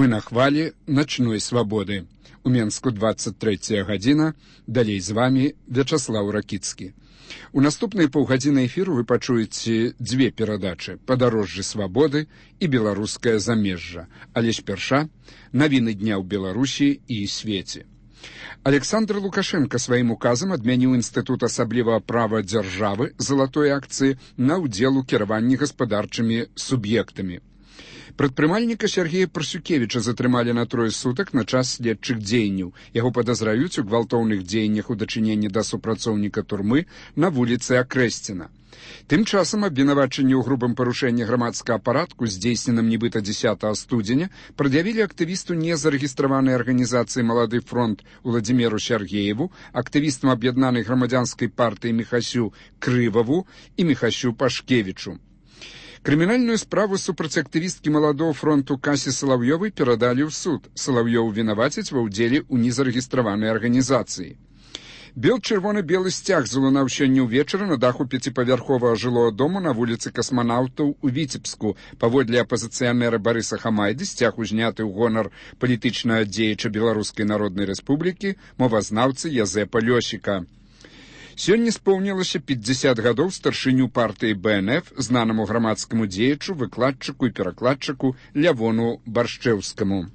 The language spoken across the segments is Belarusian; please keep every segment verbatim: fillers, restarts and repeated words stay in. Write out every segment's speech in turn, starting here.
Вы на хвалі начной свабоды. У Менску двадцать третья гадзіна. Далей з вами Вячаслаў Ракіцкі. У наступнай паўгадзіны эфіру вы пачуеце дзве перадачы: «Падарожжы свабоды» і «Беларускае замежжа». Але спярша навіны дня ў Беларусі і свеце. Александр Лукашенко сваім указам адмяніў інстытут асаблівага права дзяржавы залатой акцыі на ўдзел у кіраванні гаспадарчымі суб'ектамі. Прадпрымальніка Сергея Парсюкевіча затрымалі на трое сутак на час следчых дзеянняў. Яго падазраюць у гвалтоўных дзеяннях у дачыненні да супрацоўніка турмы на вуліцы Акрэсціна. Тым часам абвінавачанне ў грубым парушэнні грамадскага парадку, здзейсненым нібыта дзесятага студзеня, прад'явілі актывісту незарэгістраванай арганізацыі «Малады фронт» Уладзіміру Сергееву, актывістам аб'яднанай грамадзянскай партыі Міхасю Крываву і Міхасю Пашкевічу. Крымінальную справу супраць актывісткі «Маладого фронту» Касі Салаўёвай перадалі ў суд. Салаўёву вінавацяць ва ўдзеле ў незарэгістраванай арганізацыі. Бел-чырвона-белы сцяг залунаў сёння ўвечары на даху пяціпавярховага жылога дому на вуліцы Касманаўтаў у Віцебску. Паводле апазіцыянера Барыса Хамайды, сцяг узняты ў гонар палітычнага дзеяча Беларускай Народнай Рэспублікі, мовазнаўцы Язэпа Лёсіка. Сёння споўнілася пятьдесят гадоў старшыню партыі Бэ Эн Эф, знанаму грамадскаму дзеячу, выкладчыку і перакладчыку Лявону Баршчэўскаму.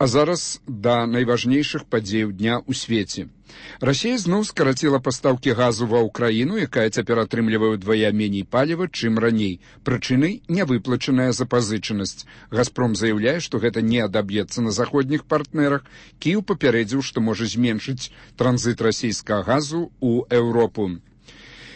А зараз да найважнейшых падзеяў дня ў свеце. Расія зноў скараціла пастаўкі газу ва ўкраіну, якая цяпер атрымлівае ўдвая меней паліва, чым раней. Прычынай нявыплачаная запазычанасць. «Газпром» заяўляе, што гэта не адаб'ецца на заходніх партнерах. Кіеў папярэдзіў, што можа зменшыць транзіт расійскага газу ў Еўропу.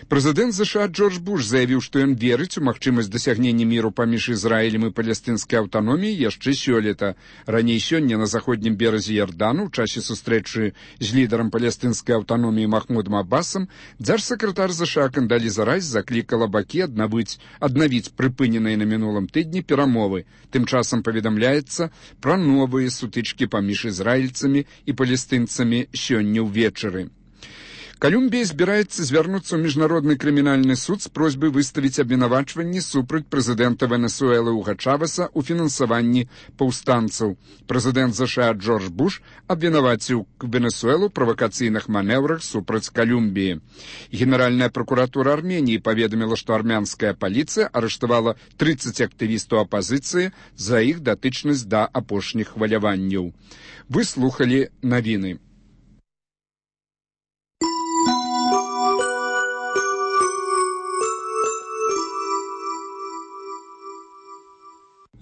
Прэзідэнт ЗША Джордж Буш заявіў, што ён верыць у магчымасць дасягнення міру паміж Ізраілем і палестынскай аўтаноміяй яшчэ сёлета. Раней сёння на заходнім беразе Ярдану ў часе сустрэчы з лідарам палестынскай аўтаноміі Махмудам Аббасам дзяржсакратар ЗША Кандаліза Райс заклікала бакі аднавіць, аднавіць прыпыненыя на мінулым тыдні перамовы. Тым часам паведамляецца пра новыя сутычкі паміж ізраільцамі і палестынцамі сёння ўвечары. Колумбія збіраецца звярнуцца ў міжнародны крымінальны суд з просьбай выставіць абвінавачванні супраць прэзідэнта Венесуэлы Уга Чавеса ў фінансаванні паўстанцаў. Прэзідэнт ЗША Джордж Буш абвінаваціў Венесуэлу правакацыйных манеўрах супраць Колумбіі. Генеральная пракуратура Арменіі паведаміла, што армянская паліцыя арыштавала тридцать актывістаў апазіцыі за іх датычнасць да апошніх хваляванняў. Вы слухалі навіны.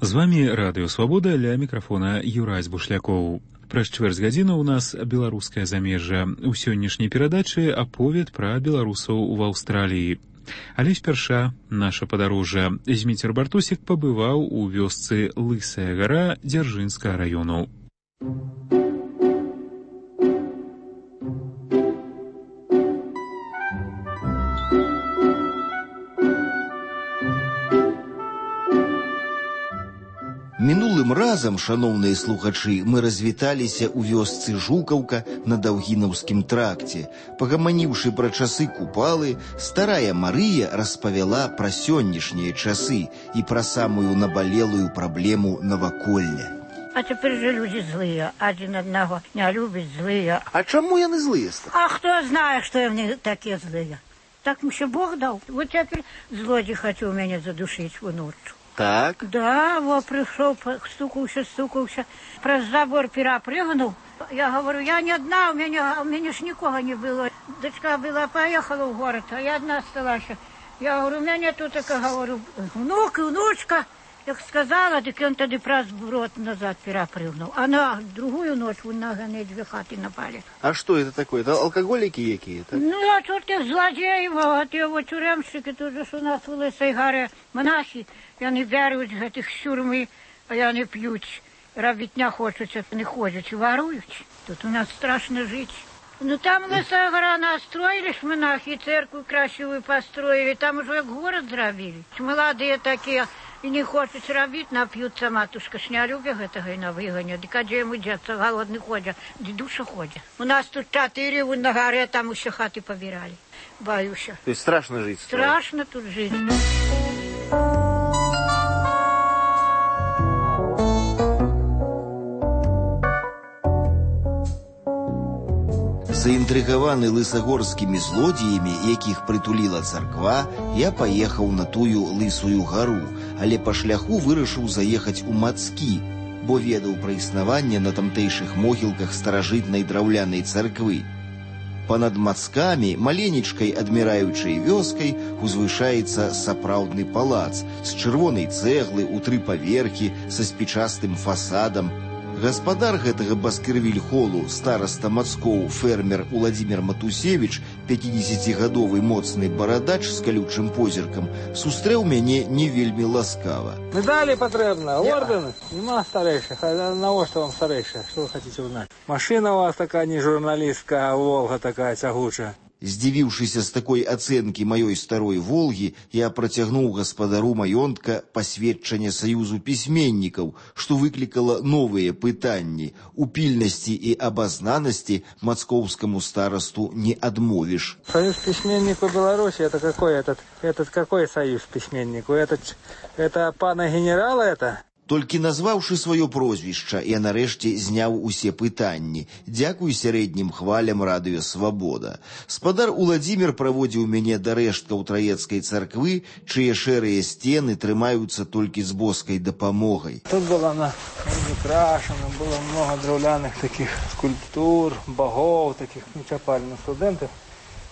З вами Радыё Свабода, ля мікрафона Юрась Бушлякоў. Праз чвэрць гадзіны ў нас беларускае замежжа. У сённяшняй перадачы аповед пра беларусаў в Аўстраліі. Але спярша наша падарожжа. Зміцер Бартусік пабываў у вёсцы Лысая гара Дзяржынскага раёну. Мінулым разам, шаноўныя слухачы, мы развіталіся ў вёсцы Жукаўка на Даўгінаўскім тракце. Пагаманіўшы пра часы купалы, старая Марыя распавяла пра сённяшнія часы і пра самую набалелую праблему наваколля. А цяпер жа людзі злыя, адзін аднаго не любіць, злыя. А чаму яны злыя? А хто знае, што яны такія злыя? Так муся Бог даў. Вот цяпер злодзей хацеў мяне задушыць уноччу. Так? Да, во, пришел, стукался, стукался, про забор перепрыгнул. Я говорю, я не одна, у меня, у меня ж никого не было. Дочка была, поехала в город, а я одна осталась. Я говорю, у меня тут, так, говорю, внук и внучка. Як сказала, так он тогда про брод назад перепрыгнул. А на другую ночь на гоне две хаты напали. А что это такое? Это алкоголики какие-то? Ну, а тут их злодеи, вот его тюремщики, тут же у нас в Лысой горе монахи. Яны бяруць гэтых сюрмы, а яны п'юць, рабіць не хочуць, не ходзяць, варуюць. Тут у нас страшно жить. Ну, там Лысая гора настроили ж монахи, церкву красивую построили, там уже город зрабілі. Молодые такие, и не хочуць рабіць, нап'юцца, матушка ж не любя гэтага і на выгане. Дык а дзе яму дзецца, голодны ходзя, дедуша ходзя. У нас тут чатыры, на горе, там усе хаты побирали. Боюся. То есть страшно жить? Страшно тут жить. Заінтрыгаваны лысагорскімі злодзеямі, якіх прытуліла царква, я паехаў на тую лысую гару, але па шляху вырашыў заехаць у Мацкі, бо ведаў пра існаванне на тамтэйшых могілках старажытнай драўлянай царквы. Панад Мацкамі, маленечкай адміраючай вёскай, узвышаецца сапраўдны палац з чырвонай цэглы ў тры паверхі са спічастым фасадам. Гаспадар гэтага Баскервіль-холу, стараста Мацкоў, фермер Уладзімір Матусевіч, пяцідзесяцігадовы моцны барадач з калючым позіркам, сустрэў мяне не вельмі ласкава. Медалі патрэбна, ордэны? Нема старэйшых, а навошта вам старэйшая? Што вы хацеце ўзнаць? Машына у вас такая не журналістка, а Волга такая цягучая. Здзівіўшыся з такой ацэнкі маёй старой «Волгі», я працягнуў гаспадару маёнтка пасведчанне Саюзу пісьменнікаў, што выклікала новыя пытанні. У пільнасці і абазнанасці мацкоўскаму старасту не адмовіш. Союз письменников Беларуси, это какой этот? Этот какой союз письменников? Этот, это пана генерала это? Толькі назваўшы сваё прозвішча, я нарэшце зняў усе пытанні. Дзякуй сярэднім хвалям радыё «Свабода». Спадар Уладзімір праводзіў мяне да рэшткаў Траецкай царквы, чые шэрыя сцены трымаюцца толькі з боскай дапамогай. Тут было на украшено, было много драўляных таких скульптур, богов, таких не чапали на студентов,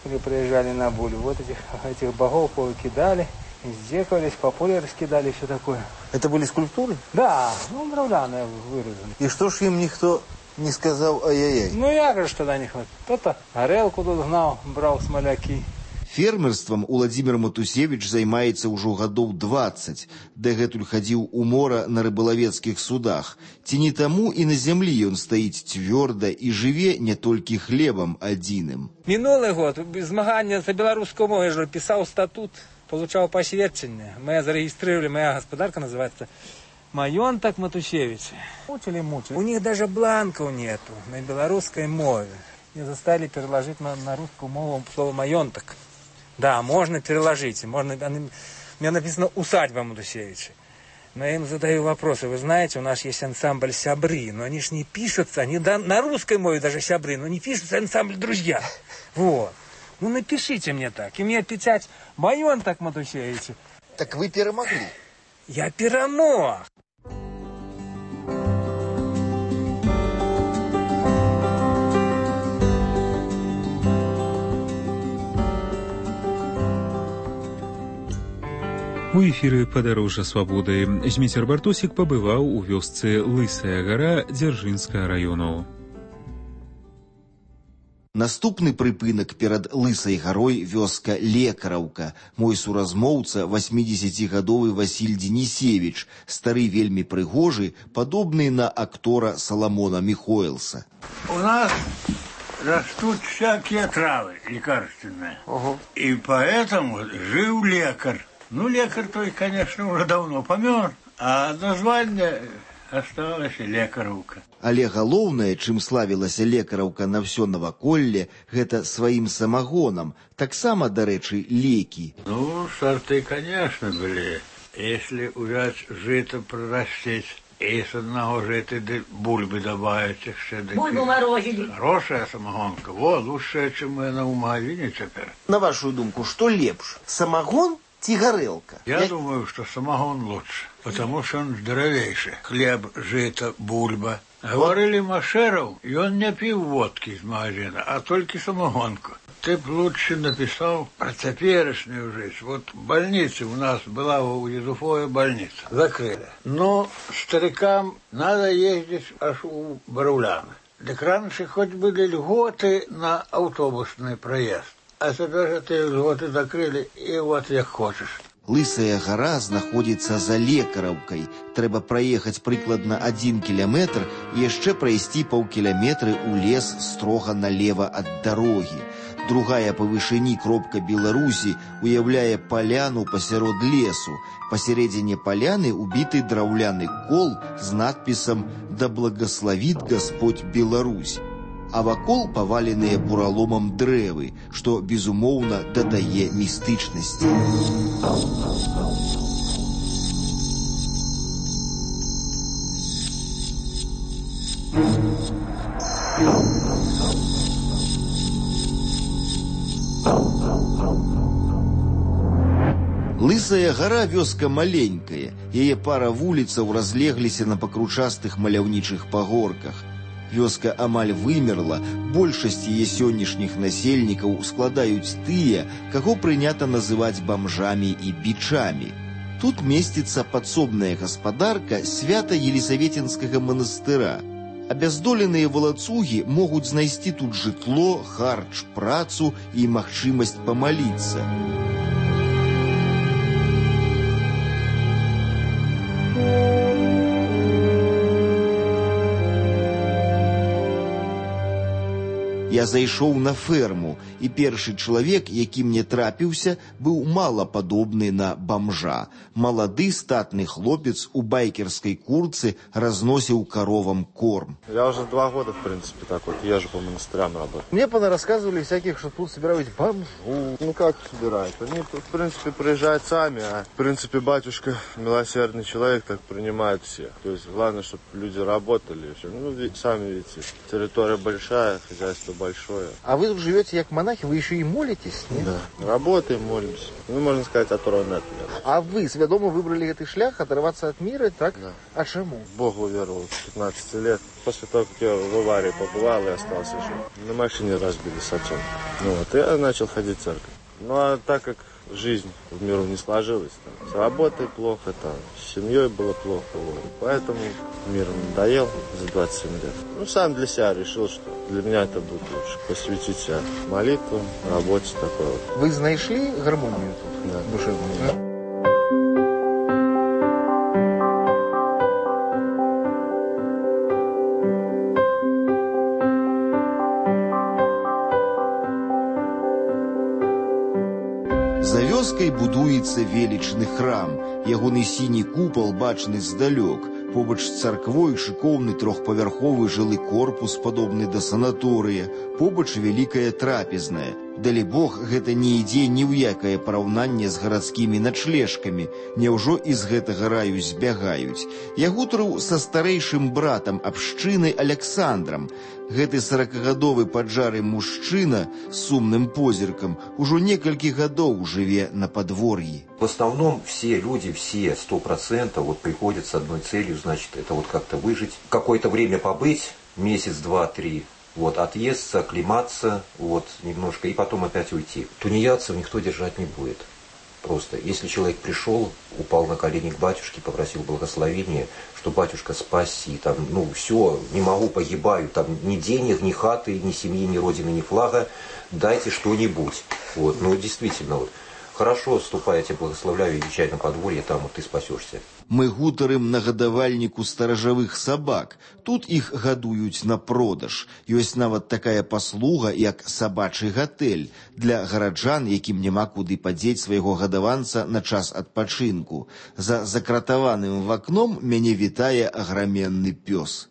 которые приезжали на Булю. Вот этих, этих богов повыкидали. Издекались, по полю раскидали, все такое. Это были скульптуры? Да, ну, драўляные вырезаны. И что ж им никто не сказал ай-яй-яй? Ну, я же тогда не хватит. Кто-то горелку тут гнал, брал смоляки. Фермерствам Уладзімір Матусевіч займаецца ўжо гадоў дваццаць. Дагэтуль хадзіў у мора на рыбалавецкіх судах. Ці не таму і на зямлі ён стаіць цвёрда і жыве не толькі хлебам адзіным. Мінулы год змагання за беларускую мову, я же писал статут. Получал посвящение. Мы зарегистрировали, моя господарка называется Маёнтак Матусевич. Мучили, мучили. У них даже бланков нету на белорусской мове. Мне заставили переложить на, на русскую мову слово Маёнтак. Да, можно переложить. Можно, у меня написано «Усадьба Матусевича». Но я им задаю вопросы. Вы знаете, у нас есть ансамбль «Сябры», но они ж не пишутся, они да, на русской мове даже «Сябры», но не пишутся ансамбль «Друзья». Вот. Ну напишите мне так, и мне печать Маёнтак Матусевич. Так вы перемогли. Я перемог. У эфіры «Падарожжа свабоды» Зміцер Бартосік пабываў у вёсцы Лысая гара Дзяржынскага раёну. Наступны прыпынак перад Лысай гарой вёска Лекараўка. Мой суразмоўца васьмідзесяцігадовы Васіль Денісевіч, стары вельмі прыгожы, падобны на актора Саламона Михоэлса. У нас растут всякие травы лекарственные. Ого. И поэтому жил лекарь. Ну, лекарь той, конечно, уже давно помер, а название осталось Лекараўка. Але галоўнае, чым славілася Лекараўка на ўсё наваколле, гэта сваім самагонам, таксама, дарэчы, лекі. Ну, сорты, конечно, были. Если взять жито прорастить, и с одного жита бульбы добавить еще. Бульбу морозили. Хорошая самогонка. Вот, лучше, чем мы на магазине теперь. На вашу думку, что лепш, самогон ці горелка? Я, Я думаю, что самогон лучше, потому что он здоровейший. Хлеб, жито, бульба. Говорили Машеров, и он не пил водки из магазина, а только самогонку. Ты б лучше написал про теперешнюю жизнь. Вот в больнице у нас была у Езуфоя больница. Закрыли. Но старикам надо ездить аж у Баруляна. Так раньше хоть были льготы на автобусный проезд. А теперь эти льготы закрыли, и вот як хочешь. Лысая гара знаходзіцца за Лекараўкай. Трэба праехаць прыкладна адзін кіляметр і яшчэ прайсці паўкіляметры ў лес строга налева ад дарогі. Другая па вышыні кропка Беларусі уяўляе паляну пасярод лесу. Пасярэдзіне паляны убіты драўляны кол з надпісам «Да благословит Господь Беларусь». А вакол паваленыя бураломам дрэвы, што, безумоўна, дадае містычнасці. Лысая гора вёска маленькая, яе пара вуліцаў разлегліся на пакручастых маляўнічых пагорках. Вёска амаль вымерла, большасць яе сённяшніх насельнікаў складаюць тыя, каго прынята называць бамжамі і бичамі. Тут месціцца падсобная гаспадарка свята Елісаветінскага манастыра. Абяздоленыя валацугі могуць знайсці тут жытло, харч, працу і магчымасць памаліцца. Я зайшоў на ферму, і першы чалавек, які мне трапіўся, быў мала падобны на бамжа. Малады статны хлопец у байкерской куртцы разносил коровам корм. Я уже два года, в принципе, так вот езжу по монастырям работаю. Мне понарассказывали всяких, что тут собирают бомжу. Ну как собирают? Они, в принципе, приезжают сами, а в принципе батюшка милосердный человек, так принимает всех. То есть главное, чтобы люди работали. Ну, сами видите, территория большая, хозяйство большое. А вы тут живете как монахи, вы еще и молитесь? Нет? Да, работаем, молимся. Ну, можно сказать, оторваны от мира. А вы сведомо выбрали этот шлях, оторваться от мира, так? Да. А чему? Богу веровал с пятнадцати лет. После того, как я в аварии побывал и остался жив. На машине разбили с отцом. Ну вот, я начал ходить в церковь. Ну а так как жизнь в миру не сложилась, там, с работой плохо, там, с семьей было плохо, вот. Поэтому мир надоел за двадцать семь лет. Ну, сам для себя решил, что для меня это будет лучше. Посвятить себя молитвам, работе такой вот. Вы нашли гармонию тут? Да. Душевную? Да. За вёскай будуецца велічны храм. Ягоны сіні купал бачны здалёк. Побач з царквой шыкоўны трохпавярховы жылы корпус, падобны да санаторыя. Побач вялікая трапезная. Далібог, гэта не ідзе ні ў якае параўнанне з гарадскімі начлежкамі. Няўжо і з гэтага раю збягаюць. Я гутарыў са старэйшым братам абшчыны Александрам. Гэты саракагадовы паджары мужчына з сумным позіркам ужо некалькі гадоў жыве на подворье. В основном все люди, все сто процентов вот приходят с одной целью, значит, это вот как-то выжить, какое-то время побыть, месяц, два, три, вот, отъесться, оклематься, вот, немножко, и потом опять уйти. Тунеядцев никто держать не будет. Просто, если человек пришел, упал на колени к батюшке, попросил благословения, что батюшка спаси, там, ну, все, не могу, погибаю, там, ни денег, ни хаты, ни семьи, ни родины, ни флага, дайте что-нибудь. Вот, ну, действительно, вот. Хорошо, ступай, я тебя благословляю, езжай на подворье, там вот ты спасешься. Мы гутарым на гадавальніку старажавых сабак. Тут іх гадуюць на продаж. Ёсць нават такая паслуга, як сабачы гатэль для гараджан, якім няма куды падзець свайго гадаванца на час адпачынку. За закратаваным вакном мяне вітае аграменны пёс.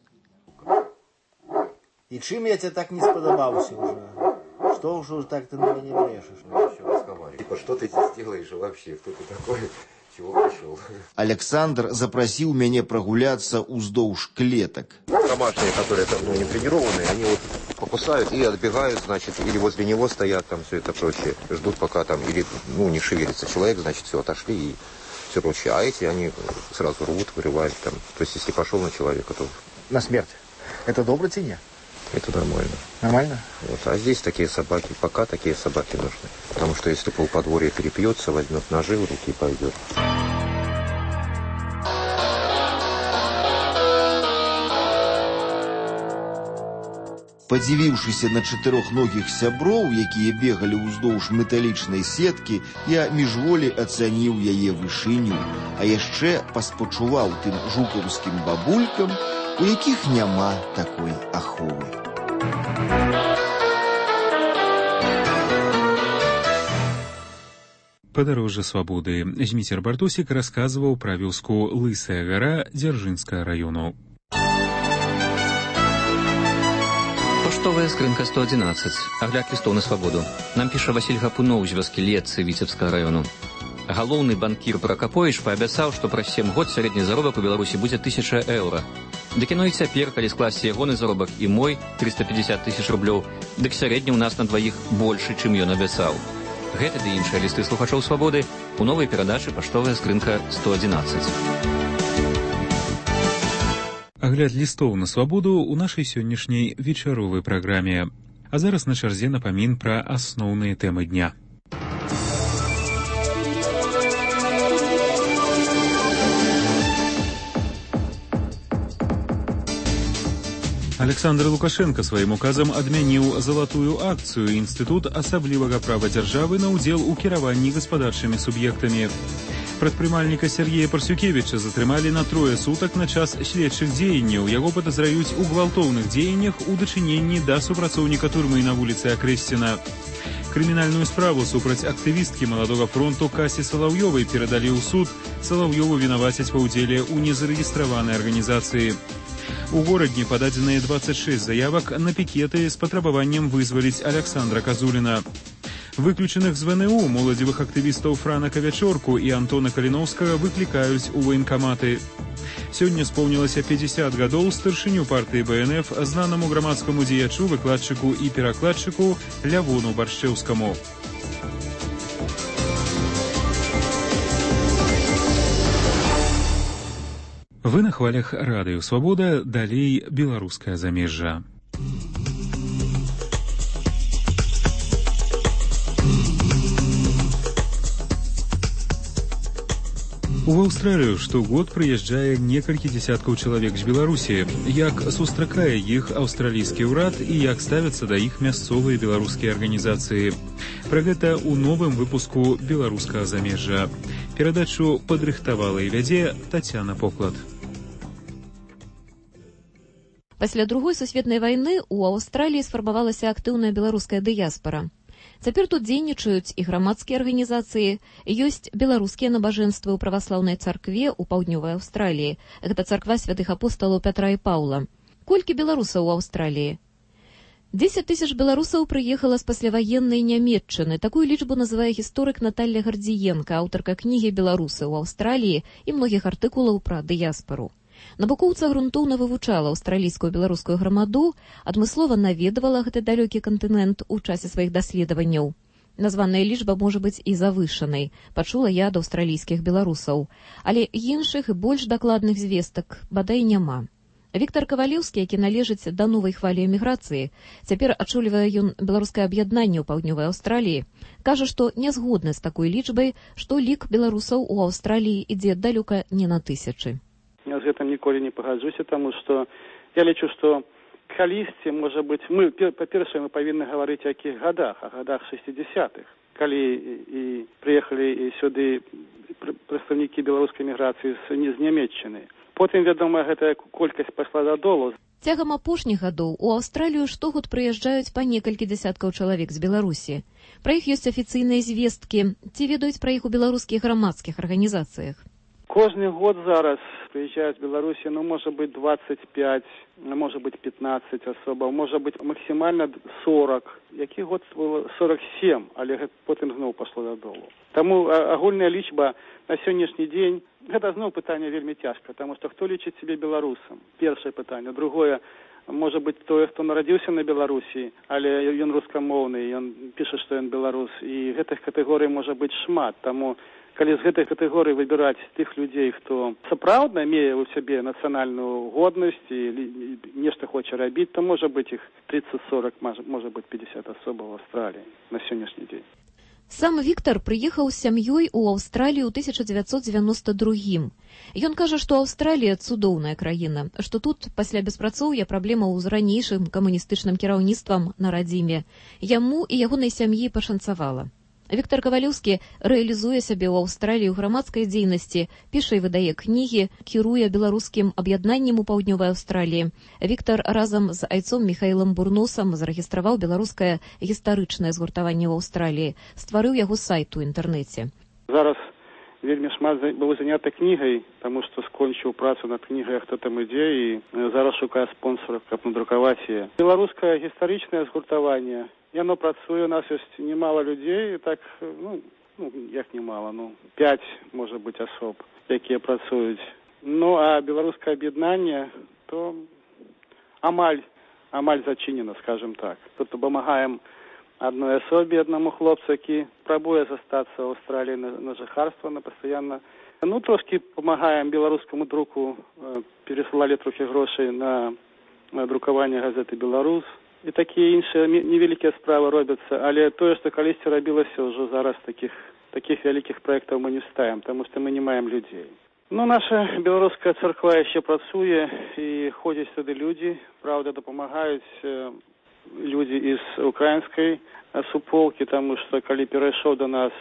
И чем я тебе так не сподобался уже? Что уже так ты на меня брешешь? Типа, что ты здесь делаешь вообще? Кто ты такой? Чего пришел? Александр запросил меня прогуляться уздовж клеток. Домашние, которые там, ну, не тренированные, они вот покусают и отбегают, значит, или возле него стоят, там все это прочее. Ждут, пока там, или, ну, не шевелится человек, значит, все, отошли и все прочее. А эти, они сразу рвут, вырывают там. То есть, если пошел на человека, то... На смерть. Это добро тебе? Это нормально. Нормально? Вот. А здесь такие собаки, пока такие собаки нужны. Потому что если полподворья перепьется, возьмет ножи в руки и пойдет. Падзівіўшыся на чатырохногіх сяброў, якія бегалі ўздоўж металічнай сеткі, я міжволі ацаніў яе вышыню, а яшчэ паспачуваў тым жукаўскім бабулькам, у якіх няма такой аховы. Падарожжа свабоды. Зміцер Бартосік расказваў пра вёску Лысая гара Дзяржынскага раёну. Поштовая скрынка сто одиннадцать. Агляд лістоў на свабоду. Нам піша Васіль Гапуноў з вёскі Летцы Віцебскага раёну. Галоўны банкір Пракаповіч паабяцаў, што праз сем год сярэдні заробак у Беларусі будзе тысяча еўра. Дык яно і цяпер, калі скласці ягоны заробак і мой трыста пятьдесят тысяч рублёў, дык сярэдні ў нас на дваіх большы, чым ён абяцаў. Гэты ды іншыя лісты слухачоў свабоды у новай перадачы «Паштовая скрынка сто адзінаццаць». Агляд лістоў на свабоду ў нашай сённяшняй вечаровай праграме. А зараз на чарзе напамін пра асноўныя тэмы дня. Александр Лукашенко сваім указам адмяніў залатую акцыю інстытут асаблівага права дзяржавы на ўдзел у кіраванні гаспадарчымі суб'ектамі. Прадпрымальніка Сергея Парсюкевіча затрымалі на трое сутак на час следчых дзеянняў. Яго падазраюць у гвалтоўных дзеяннях у дачыненні да супрацоўніка турмы на вуліцы Акрэсціна. Крымінальную справу супраць актывісткі маладога фронту Касі Салаўёвай перадалі ў суд. Салаўёву вінавацяць па ўдзеле ў незарэгістраванай арганізацыі. У горадні пададзеныя двадцать шесть заявак на пікеты з патрабаваннем вызваліць Александра Казуліна. Выключаных з ВНУ моладзевых актывістаў Франа Кавячорку і Антона Каліноўскага выклікаюць у ваенкаматы. Сёння споўнілася пятьдесят гадоў старшыню партыі БНФ знанаму грамадскаму дзеячу, выкладчыку і перакладчыку Лявону Баршчэўскаму. Вы на хвалях радыё «Свабода», далей беларускае замежжа. У Аўстралію штогод прыязджае некалькі дзесяткаў чалавек з Беларусі. Як сустракае іх аўстралійскі ўрад і як ставяцца да іх мясцовыя беларускія арганізацыі. Пра гэта ў новым выпуску беларускага замежжа. Перадачу падрыхтавала і вядзе Тацяна Поклад. Пасля другой сусветнай вайны ў Аўстраліі сфармавалася актыўная беларуская дыяспара. Цяпер тут дзейнічаюць і грамадскія арганізацыі, ёсць беларускія набажэнствы ў праваслаўнай царкве ў паўднёвай Аўстраліі. Гэта царква святых апосталаў Пятра і Паўла. Колькі беларусаў у Аўстраліі? дзесяць тысяч беларусаў прыехала з пасляваеннай Нямецчыны. Такую лічбу называе гісторык Наталля Гардзіенка, аўтарка кнігі «Беларусы ў Аўстраліі» і многіх артыкулаў пра дыяспару. Навукоўца грунтоўна вывучала аўстралійскую беларускую грамаду, адмыслова наведавала гэты далёкі кантынент у часе сваіх даследаванняў. Названая лічба можа быць і завышанай, пачула я ад аўстралійскіх беларусаў. Але іншых і больш дакладных звестак бадай няма. Віктар Кавалеўскі, які належыць да новай хвалі эміграцыі, цяпер ачолівае ён беларускае аб'яднанне ў паўднёвай Аўстраліі, кажа, што не згодны з такой лічбай, што лік беларусаў у Аўстраліі ідзе далёка не на тысячы. Я з гэтым ніколі не пагаджуся, таму што я лічу, што калісьці, можа быць, мы, па-першае, мы павінны гаварыць о якіх гадах, о гадах шэсцідзесятых, калі і прыехалі сюды прадстаўнікі беларускай міграцыі з Нямецчыны. Потым, вядома, гэтая колькасць пайшла дадолу. Цягам апошніх гадоў у Аўстралію штогод прыязджаюць па некалькі дзясяткаў чалавек з Беларусі. Пра іх ёсць афіцыйныя звесткі. Ці ведаюць пра іх у беларускіх грамадскіх арганізацыях? Кожны год зараз прыязджаюць з Беларусі, ну, можа быць, двадцать пять, можа быць, пятнадцать асобаў, можа быць, максімальна сорок. Які год было сорок семь, але потым зноў пашло дадолу. Таму агульная лічба на сённяшні дзень, гэта зноў пытанне вельмі цяжка, таму што хто лічыць сябе беларусам? Першае пытанне. Другое, можа быць, той, хто нарадзіўся на Беларусі, але ён рускамоўны, ён піша, што ён беларус, і гэтых катэгорый можа быць шмат, таму калі з гэтай катэгорыі выбіраць тых людзей, хто сапраўдна мее ў сябе нацыянальную годнасць і нешта хоча рабіць, то можа быць іх тридцать сорок, можа быць пятьдесят асобаў в Аўстраліі на сённяшні дзень. Сам Віктар прыехаў з сям'ёй у Аўстралію ў тысяча дзевяцьсот дзевяноста другім. Ён кажа, што Аўстралія цудоўная краіна, што тут пасля беспрацоўя праблемаў з ранейшым камуністычным кіраўніцтвам на радзіме. Яму і ягонай сям'і пашанцавала. Віктар Кавалеўскі рэалізуе сябе ў Аўстраліі ў грамадскай дзейнасці, піша і выдае кнігі, кіруе беларускім аб'яднаннем у паўднёвай Аўстраліі. Віктар разам з айцом Міхаілам Бурносам зарэгістраваў беларускае гістарычнае згуртаванне ў Аўстраліі, стварыў яго сайт у інтэрнэце. Зараз вельмі шмат быў заняты кнігай, таму што скончыў працу над кнігай «Хто там ідзе» і зараз шукае спонсораў, каб надрукаваць яе. Беларускае гістарычнае згуртаванне, яно працуе, у нас ёсць немало людзей, так, ну, ну, як немало, ну, пять, можа быць, асоб, якія працуюць. Ну, а беларускае аб'яднанне то амаль, амаль зачинена, скажем так. Тут допомагаем одной особе, одному хлопцу, який пробує застаться в Австралії на, на жихарство, на постійно. Ну, трошки допомагаємо білоруському друку, переслали трохи грошей на, на друкування газети «Білорус». І такі інші невеликі справи робляться, але те, що колись робилося, вже зараз таких, таких великих проєктів ми не вставимо, тому що ми не маємо людей. Ну, наша білоруська церква ще працює і ходять сюди люди, правда, допомагають люди із української суполки, тому що коли перейшов до нас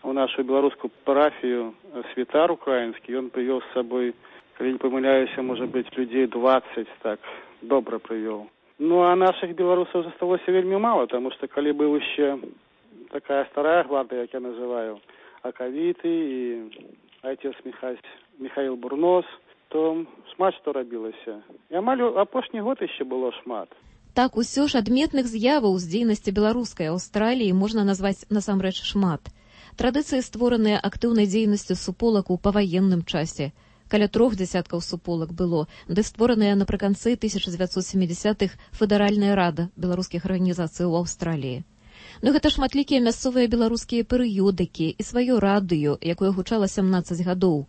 у нашу білоруську парафію святар український, він привів з собою, коли не помиляюся, може бути, людей двадцять, так, добре привів. Ну, а наших білорусів залишилося вельми мало, тому що коли був ще така стара гвардія, як я називаю, Аковіти і отець Михаїл Бурнос, то шмат що робилося. І амаль апошні год ще було шмат. Так, усё ж адметных з'яваў з дзейнасці беларускай Аўстраліі можна назваць насамрэч шмат. Традыцыі, створаныя актыўнай дзейнасцю суполак у паваенным часе. Каля трох дзясяткаў суполак было, ды створаныя напрыканцы тысяча дзевяцьсот сямідзясятых Федэральная рада беларускіх арганізацый у Аўстраліі. Ну гэта шматлікія мясцовыя беларускія перыёдыкі і сваё радыё, якое гучала сямнаццаць гадоў.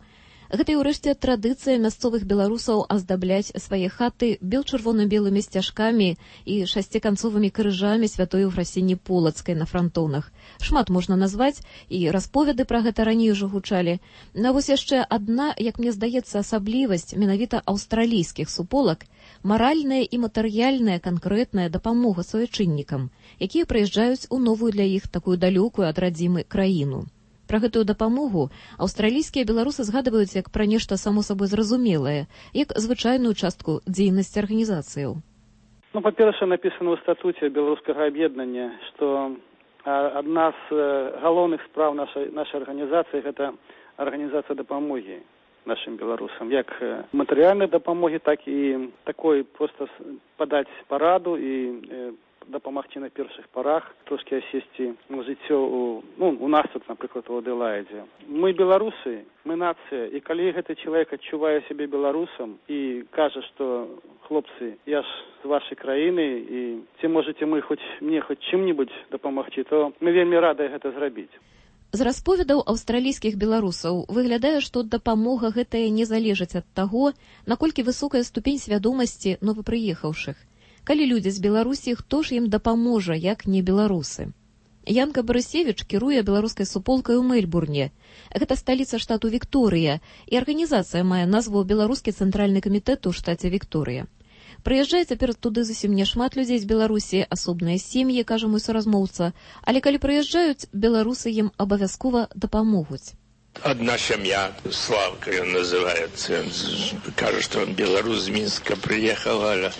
Гэта і ўрэшце традыцыя мясцовых беларусаў аздабляць свае хаты бел-чырвона-белымі сцяжкамі і шасціканцовымі крыжамі святой Ефрасіні Полацкай на франтонах. Шмат можна назваць, і расповеды пра гэта раней ужо гучалі. На вось яшчэ адна, як мне здаецца, асаблівасць менавіта аўстралійскіх суполак – маральная і матэрыяльная канкрэтная дапамога суайчыннікам, якія прыязджаюць у новую для іх такую далёкую ад радзімы краіну. Пра гэтую дапамогу аўстралійскія беларусы згадваюць як пра нешта само сабой зразумелае, як звычайную частку дзейнасці арганізацыяў. Ну, па-першае, напісана ў статуце беларускага аб'яднання, што адна з галоўных спраў нашай, нашай арганізацыі – гэта арганізацыя дапамогі нашим беларусам, як матэрыяльнай дапамогі, так і такой проста падаць параду і дапамагчы на першых парах, трошки асесці жыццё у, ну, у нас тут, напрыклад, у Адэlaide. Мы беларусы, мы нацыя, і калі гэты чалавек адчувае сябе беларусам і кажа, што хлопцы, я ж з вашай краіны, і ці можаце мы хоць мне хоць чым-небудзь дапамагчы, то мы вельмі радыя гэта зрабіць. З расповедаў аўстралійскіх беларусаў выглядае, што дапамога гэтая не залежыць ад таго, наколькі высокая ступень свядомасці новапрыехаўшых. Калі людзі з Беларусі, хто ж ім дапаможа, як не беларусы? Янка Барысевіч кіруе беларускай суполкай у Мельбурне. Гэта сталіца штату Вікторыя, і арганізацыя мае назву Беларускі цэнтральны камітэт у штаце Вікторыя. Прыязджае цяпер туды зусім няшмат людзей з Беларусі, асобныя сем'і, кажа мой суразмоўца, але калі прыязджаюць, беларусы ім абавязкова дапамогуць. Одна семья, Славка он называется, он кажется, что он белорус, из Минска приехал, а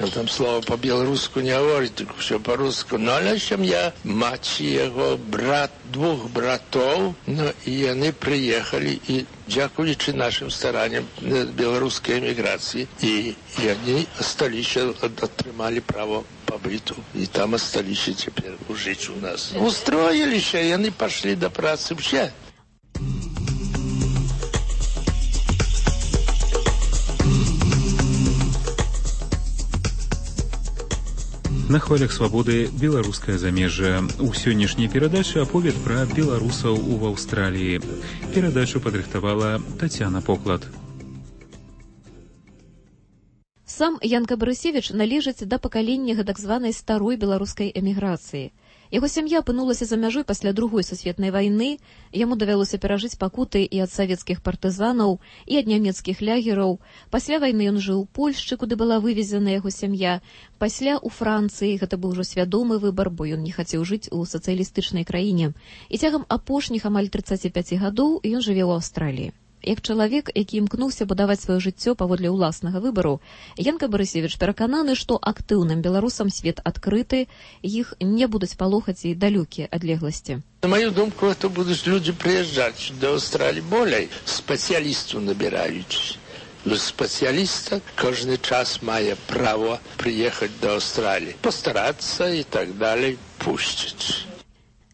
он там слово по-белорусски не говорит, только все по-русски. Но она семья, мать его, брат, двух братов, ну, и они приехали, и дякуючи нашим стараниям белорусской эмиграции, и, и они остались, отримали право побыту, и там остались теперь жить у нас. Устроились, и они пошли до працы вообще. На хвалях свабоды беларускае замежжа. У сённяшняй перадачы аповед пра беларусаў у Аўстраліі. Перадачу падрыхтавала Тацяна Поклад. Сам Янка Барысевіч належыць да пакалення гэтак званай старой беларускай эміграцыі. Яго сям'я апынулася за мяжой пасля другой сусветнай вайны, яму давялося перажыць пакуты і ад савецкіх партызанаў, і ад нямецкіх лягераў. Пасля вайны ён жыў у Польшчы, куды была вывезена яго сям'я. Пасля ў Францыі, гэта быў ужо свядомы выбар, бо ён не хацеў жыць у сацыялістычнай краіне. І цягам апошніх амаль трыццаці пяці гадоў ён жыве ў Аўстраліі. Як чалавек, які імкнуўся будаваць сваё жыццё паводле ўласнага выбару, Янка Барысевіч перакананы, што актыўным беларусам свет адкрыты, іх не будуць палохаць і далёкія адлегласці. На мою думку, это будут люди приезжать до Австралии более специалистов набирают. Специалиста каждый час має право приехать до Австралии, постараться и так далее, пустить.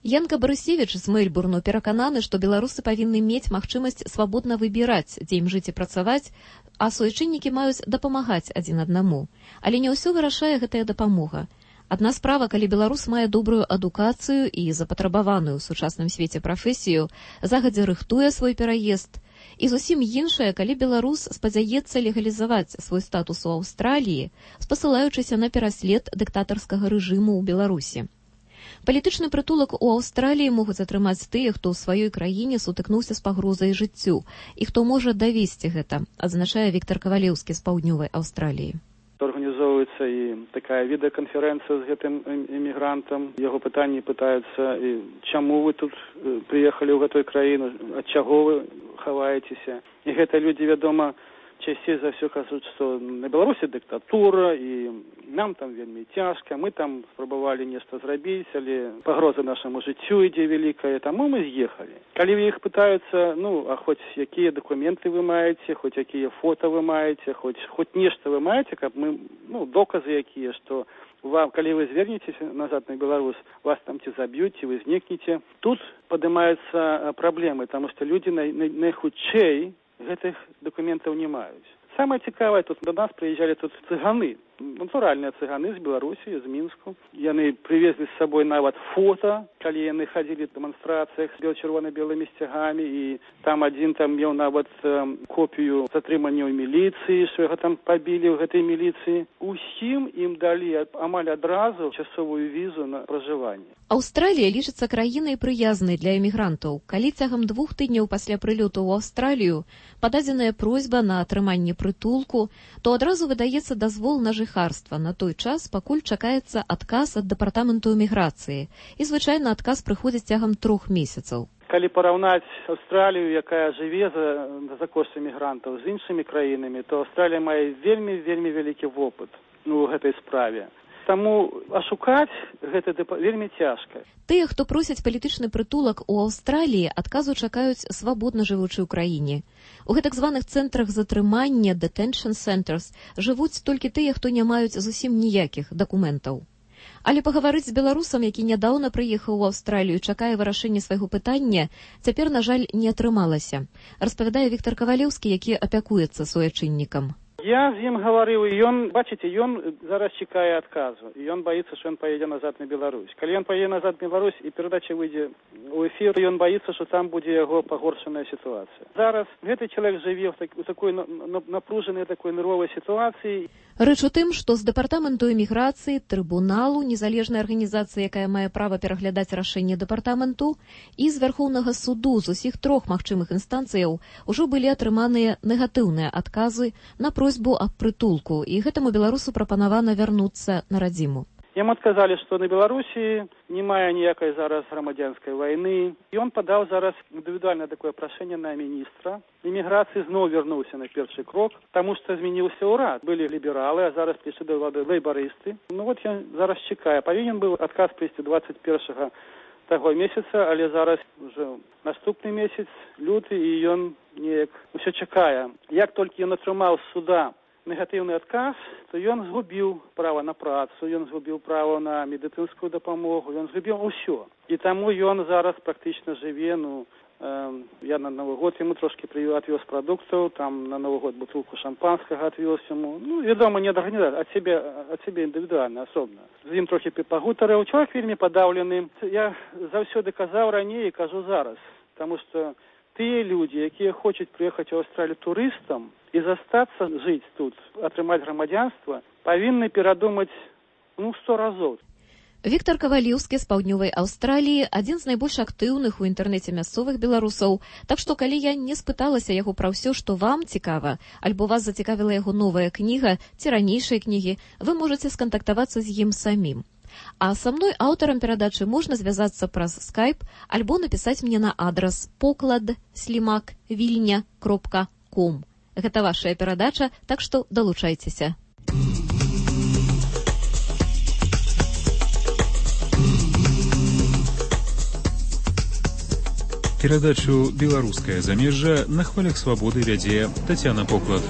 Янка Барысевіч з Мельбурну перакананы, што беларусы павінны мець магчымасць свабодна выбіраць, дзе ім жыць і працаваць, а суайчыннікі маюць дапамагаць адзін аднаму. Але не ўсё вырашае гэтая дапамога. Адна справа, калі беларус мае добрую адукацыю і запатрабаваную ў сучасным свеце прафесію, загадзя рыхтуе свой пераезд, і зусім іншая, калі беларус спадзяецца легалізаваць свой статус у Аўстраліі, спасылаючыся на пераслед дыктатарскага рэжыму ў Беларусі. Палітычны прытулак у Аўстраліі могуць атрымаць тыя, хто ў сваёй краіне сутыкнуўся з пагрозай жыццю і хто можа давесці гэта, адзначае Віктор Кавалеўскі з паўднёвай Аўстраліі. Организовывается и такая видеоконференция с этим иммигрантом. Его пытания пытаются, чему вы тут приехали в эту краину, от чего вы ховаетесь. И это люди, ведомо, чаще за все кажут, что на Беларуси диктатура, и нам там вельми тяжко, мы там пробовали нечто сделать, или погроза нашему житию иде великая, тому мы съехали. Когда их пытаются, ну, а хоть какие документы вы маете, хоть какие фото вы маете, хоть, хоть нечто вы маете, как мы, ну, доказы какие, что вам, когда вы звернетесь назад на Беларусь, вас там те забьют, вы зникнете. Тут поднимаются проблемы, потому что люди наихудшей гэтых документов не маюць. Самое цікавае, тут до нас приезжали тут цыганы, натуральные цыганы з Беларусі, з Мінску. Яны привезли с собой нават фото, калі яны ходили в демонстрациях с бело-червоно-белыми стягами, и там один там мел нават э, копию затрымання ў милиции, что его там побили в этой милиции. Усім им дали амаль адразу часовую визу на проживание. Аўстралія лічыцца краінай прыязнай для эмігрантаў. Калі цягам двух тыдняў пасля прылёту ў Аўстралію пададзеная просьба на атрыманне прытулку, то адразу выдаецца дазвол на жыхарства на той час, пакуль чакаецца адказ ад дэпартаменту эміграцыі. І звычайна адказ прыходзіць цягам трох месяцаў. Калі параўнаць Аўстралію, якая жыве за, за кошт эмігрантаў, з іншымі краінамі, то Аўстралія мае вельмі-вельмі вялікі вопыт ну, у гэтай справе. Таму ашукаць гэта вельмі цяжка. Тыя, хто просяць палітычны прытулак у Аўстраліі, адказу чакаюць свабодна жывучы ў краіне. У гэтак званых цэнтрах затрымання, detention centers, жывуць толькі тыя, хто не маюць зусім ніякіх дакументаў. Але пагаварыць з беларусам, які нядаўна прыехаў у Аўстралію, чакае вырашэння свайго пытання, цяпер, на жаль, не атрымалася. Распавядае Віктор Кавалеўскі, які апякуецца суайчыннікам. Я з ім гаварыў, і ён, бачыце, ён зараз чакае адказу, і ён баіцца, што ён паедзе назад на Беларусь. Калі ён паедзе назад на Беларусь і перадача выйдзе ў эфір, ён баіцца, што там будзе яго пагоршаная сітуацыя. Зараз гэты чалавек жыве ў, так, у такой напружанай, такой нервовай сітуацыі. Рэч у тым, што з дэпартаменту эміграцыі, трыбуналу, незалежнай арганізацыі, якая мае права пераглядаць рашэнне дэпартаменту, і з Вярхоўнага суду з усіх трох магчымых інстанцыяў ужо былі атрыманыя негатыўныя адказы на просьбу аб прытулку, і гэтаму беларусу прапанавана вярнуцца на радзіму. Яму адказалі, што на Беларусі не мае ніякай зараз грамадзянскай вайны. І ён падаў зараз індывідуальнае такое прашэнне на міністра. Эміграцыі зноў вярнуўся на першы крок, таму што змяніўся ўрад. Былі лібералы, а зараз прыйшлі да ўлады лейбарысты. Ну вот ён зараз чакае. Павінен быў адказ прыйсці дваццаць першага таго месяца, але зараз уже наступны месяц, люты, і ён неяк усё чакае. Як толькі ён атрымаў з суда негатыўны адказ, то ён згубіў права на працу, ён згубіў права на медыцынскую дапамогу, ён згубіў усё. І таму ён зараз практычна жыве, ну, э, я на Новы год яму трошки отвез прадуктаў, там на Новы год бутылку шампанскага отвез яму. Ну, вядома, не ад арганізацыі, ад сябе, ад сябе індывідуальна, асобна. З ім трохі пагутарыў. Чалавек вельмі падаўлены. Я заўсёды казаў раней і кажу зараз, таму што тыя людзі, якія хочуць прыехаць у Аўстралію турыстам і застацца жыць тут, атрымаць грамадзянства, павінны перадумаць, ну, сто разоў. Віктор Кавалеўскі з паўднёвай Аўстраліі адзін з найбольш актыўных у інтэрнэце мясцовых беларусаў, так што калі я не спыталася яго пра ўсё, што вам цікава, альбо вас зацікавіла яго новая кніга ці ранейшыя кнігі, вы можаце скантактавацца з ім самім. А са мной, аўтарам перадачы, можна звязацца праз скайп альбо напісаць мне на адрас поклад слімак вільня кропка ком. Гэта вашая перадача, так што далучайцеся. Перадачу «Беларускае замежжа» на хвалях свабоды вядзе Тацяна Поклад.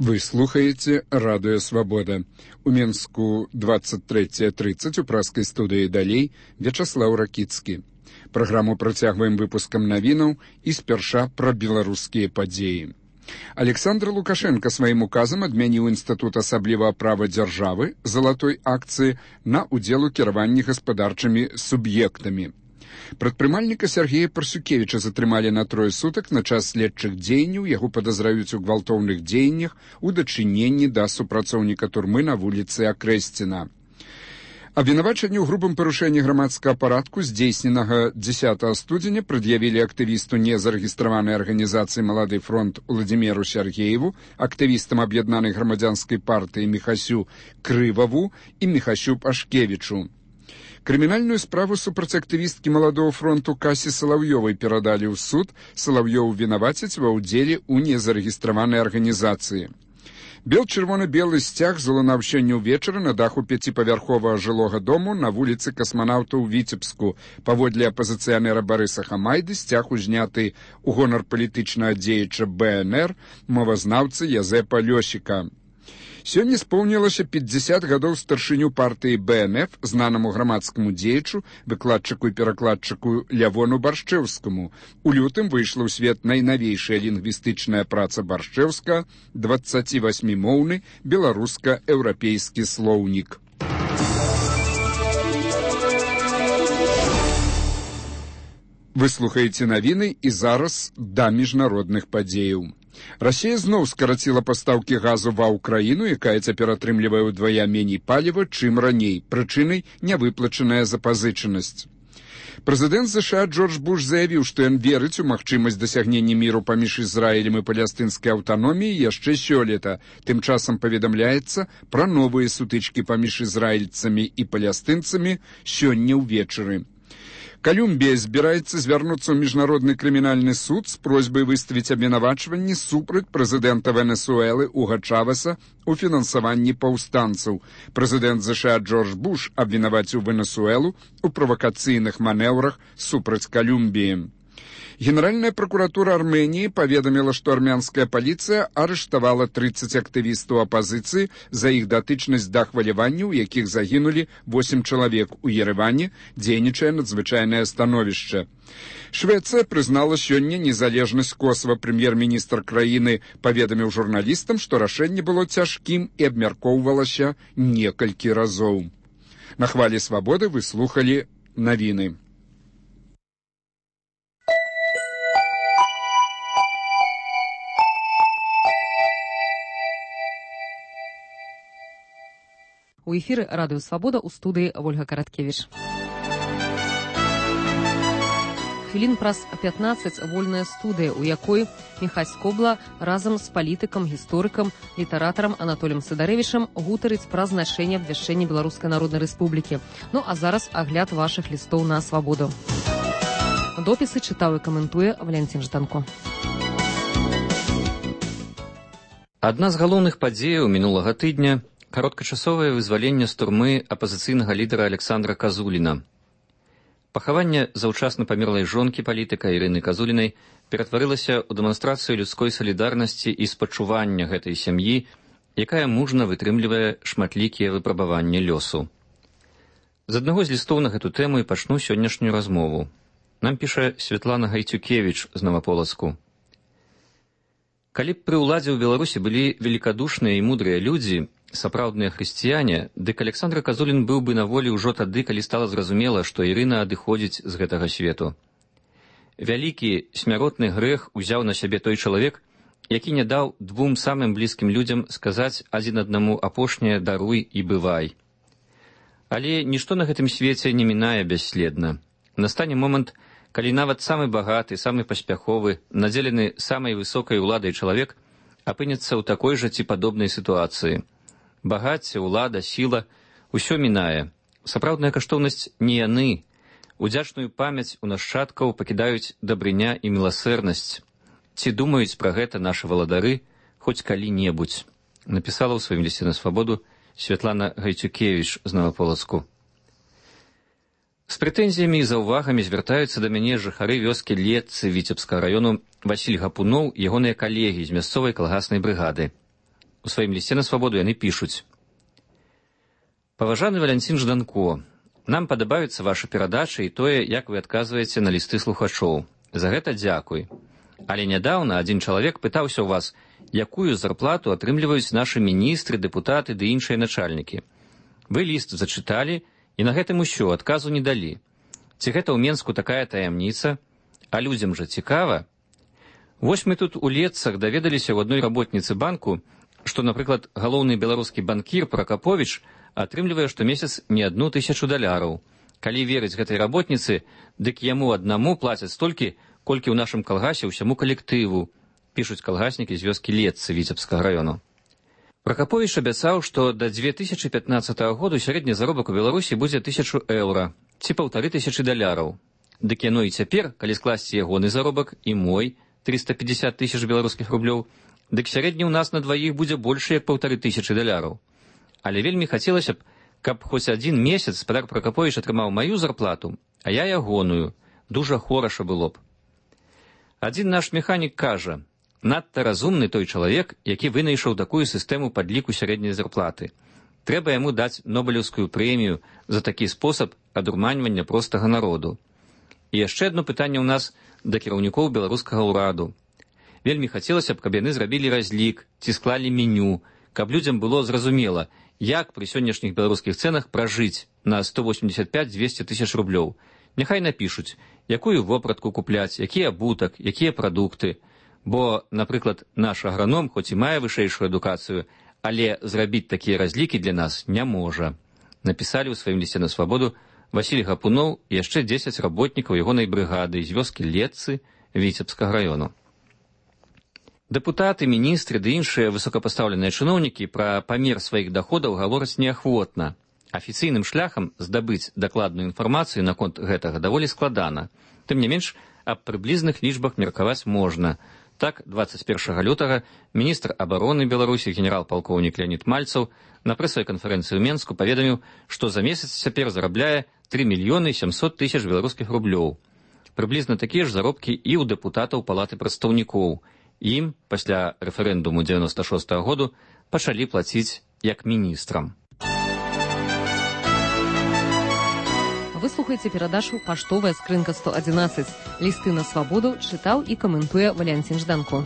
Вы слухаеце радыё «Свабода». У Менску двадцать третье тридцать у праскай студыі далей Вячаслаў Ракіцкі. Праграму працягваем выпускам навінаў і спярша пра беларускія падзеі. Александр Лукашенко сваім указам адмяніў інстытут асаблівага права дзяржавы залатой акцыі на ўдзел у кіраванні гаспадарчымі суб'ектамі. Прадпрымальніка Сергея Парсюкевіча затрымалі на трое сутак на час следчых дзеянняў, яго падазраюць у гвалтоўных дзеяннях у дачыненні да супрацоўніка турмы на вуліцы Акрэсціна. Абвінавачанне ў грубым парушэнні грамадскага парадку, здзейсненага дзесятага студзеня, прад'явілі актывісту незарэгістраванай арганізацыі «Малады фронт» Уладзіміру Сергееву, актывістам аб'яднанай грамадзянскай партыі Міхасю Крываву і Міхасю Пашкевічу. Крымінальную справу супраць актывісткі «Маладого фронту» Касі Салаўёвай перадалі ў суд. Салаўёў вінавацяць ва ўдзеле ў незарэгістраванай арганізацыі. Бел-чырвона-белы сцяг залунаў сёння ўвечары на даху пяціпавярховага жылога дому на вуліцы Касманаўта ў Віцебску. Паводле апазіцыянера Барыса Хамайды, сцяг узняты ў гонар палітычнага дзеяча Бэ Эн Эр, мовазнаўцы Язэпа Лёсіка. Сёння споўнілася пятьдесят гадоў старшыню партыі Бэ Эн Эф, знанаму грамадскаму дзеячу, выкладчыку і перакладчыку Лявону Баршчэўскаму. У лютым выйшла ў свет найнавейшая лінгвістычная праца Баршчэўска, дваццацівасьмімоўны беларуска-еўрапейскі слоўнік. Вы слухаеце навіны і зараз да міжнародных падзеяў. Расія зноў скараціла пастаўкі газу ва ўкраіну, якая цяпер атрымлівае ўдвая меней паліва, чым раней. Прычынай нявыплачаная запазычанасць. Прэзідэнт ЗША Джордж Буш заявіў, што ён верыць у магчымасць дасягнення міру паміж Ізраілем і палестынскай аўтаноміяй яшчэ сёлета. Тым часам паведамляецца пра новыя сутычкі паміж ізраільцамі і палестынцамі сёння ўвечары. Колумбія збіраецца звярнуцца ў міжнародны крымінальны суд з просьбай выставіць абвінавачванні супраць прэзідэнта Венесуэлы Уга Чавеса у фінансаванні паўстанцаў. Прэзідэнт ЗША Джордж Буш абвінаваціў Венесуэлу ў правакацыйных манеўрах супраць Колумбіі. Генеральная прокуратура Армении паведаміла, што армянская паліцыя арыштавала тридцать актывістаў апазіцыі за іх датычнасць да хваляванняў, у якіх загінулі восемь чалавек. У Ереване дзейнічае надзвычайнае становішча. Швецыя прызнала сёння незалежнасць Косова. Прэм'ер-міністр краіны паведаміў журналістам, што рашэнне было цяжкім і абмяркоўвалася некалькі разоў. На хвалі свабоды вы слухалі навіны. У эфіры радыё «Свабода» у студыі Вольга Караткевіч. Хвілін праз пятнаццаць вольная студыя, у якой Міхась Кобла разам з палітыкам, гісторыкам, літаратарам Анатоліем Сыдарэвічам гутарыць пра значэнне абвяшчэння Беларускай Народнай Рэспублікі. Ну а зараз агляд вашых лістоў на свабоду. Допісы чытаў і каментуе Валянцін Жданко. Адна з галоўных падзеяў мінулага тыдня – кароткачасовае вызваленне з турмы апазіцыйнага лідара Александра Казуліна. Пахаванне заўчасна памерлай жонкі палітыка Ірыны Казулінай ператварылася ў дэманстрацыю людской салідарнасці і спачування гэтай сям'і, якая мужна вытрымлівае шматлікія выпрабаванні лёсу. З аднаго з лістоў на гэту тэму і пачну сённяшнюю размову. Нам піша Святлана Гайцюкевіч з Наваполацку. Калі б пры ўладзе ў Беларусі былі великадушныя і мудрыя людзі, сапраўдныя хрысціяне, дык Александр Казулін быў бы на волі ўжо тады, калі стала зразумела, што Ірына адыходзіць з гэтага свету. Вялікі смяротны грэх узяў на сябе той чалавек, які не даў двум самым блізкім людзям сказаць адзін аднаму апошняе «даруй і бывай». Але нішто на гэтым свеце не мінае бясследна. Настане момант, калі нават самы багаты, самы паспяховы, надзелены самай высокай уладай чалавек апынецца ў такой жа ці падобнай сітуацыі. Багацце, улада, сіла – усё мінае. Сапраўдная каштоўнасць не яны. Удзячную памяць у нашчадкаў пакідаюць дабрыня і міласэрнасць. Ці думаюць пра гэта нашы валадары хоць калі-небудзь? Напісала ў сваім лісце на свабоду Святлана Гайцюкевіч з Наваполацку. З прэтэнзіямі і заўвагамі звяртаюцца да мяне жыхары вёскі Летцы Віцебскага раёну Васіль Гапуноў і ягоныя калегі з мясцовай калгаснай брыгады. У сваім лісце на свабоду яны пішуць: «Паважаны Валянцін Жданко, нам падабаюцца вашы перадачы і тое, як вы адказваеце на лісты слухачоў. За гэта дзякуй. Але нядаўна адзін чалавек пытаўся ў вас, якую зарплату атрымліваюць нашы міністры, дэпутаты ды іншыя начальнікі. Вы ліст зачыталі, і на гэтым усё, адказу не далі. Ці гэта ў Менску такая таямніца? А людзям жа цікава. Вось мы тут у Летцах даведаліся ў адной работніцы банку, што, напрыклад, галоўны беларускі банкір Пракаповіч атрымлівае штомесяц не адну тысячу даляраў. Калі верыць гэтай работніцы, дык яму аднаму плацяць столькі, колькі ў нашым калгасе ўсяму калектыву, пішуць калгаснікі з вёскі Летцы Віцебскага раёну. Пракаповіч абяцаў, што да дзве тысячы пятнаццатага году сярэдні заробак у Беларусі будзе тысячу еўра, ці паўтары тысячы даляраў. Дык яно і цяпер, калі скласці ягоны заробак і мой, триста пятьдесят тысяч беларускіх рублёў, дык сярэдні ў нас на дваіх будзе больш як паўтары тысячы даляраў. Але вельмі хацелася б, каб хоць адзін месяц спадар Пракаповіч атрымаў маю зарплату, а я ягоную. Дужа хораша было б. Адзін наш механік кажа, надта разумны той чалавек, які вынайшаў такую сістэму падліку сярэдняй зарплаты. Трэба яму даць Нобелеўскую прэмію за такі спосаб адурманьвання простага народу. І яшчэ адно пытанне ў нас да кіраўнікоў беларускага ўраду. Вельмі хацелася б, каб яны зрабілі разлік, ці склалі меню, каб людзям было зразумела, як пры сённяшніх беларускіх цэнах пражыць на сто восемьдесят пять - двести тысяч рублёў. Няхай напішуць, якую вопратку купляць, які абутак, якія прадукты. Бо, напрыклад, наш аграном, хоць і мае вышэйшую адукацыю, але зрабіць такія разлікі для нас не можа. Напісалі ў сваім лісце на свабоду Васіль Гапуноў і яшчэ дзесяць работнікаў ягонай брыгады з вёскі Летцы Віцебскага раёну. Дэпутаты, міністры ды іншыя высокапастаўленыя чыноўнікі пра памер сваіх даходаў гавораць неахвотна. Афіцыйным шляхам здабыць дакладную інфармацыю наконт гэтага даволі складана. Тым не менш, аб прыблізных лічбах меркаваць можна. Так, двадцать першага лютага міністр абароны Беларусі генерал-палкоўнік Леонід Мальцаў на прэсавай канферэнцыі ў Менску паведаміў, што за месяц цяпер зарабляе три мільёны сямсот тысяч беларускіх рублёў. Прыблізна такія ж заробкі і ў дэпутатаў палаты прадстаўнікоў. Ім пасля рэферэндуму дзевяносто шостага году пачалі плаціць як міністрам. Вы слухаеце перадачу «Паштовая скрынка сто адзінаццаць». Лісты на свабоду чытаў і каментуе Валянцін Жданко.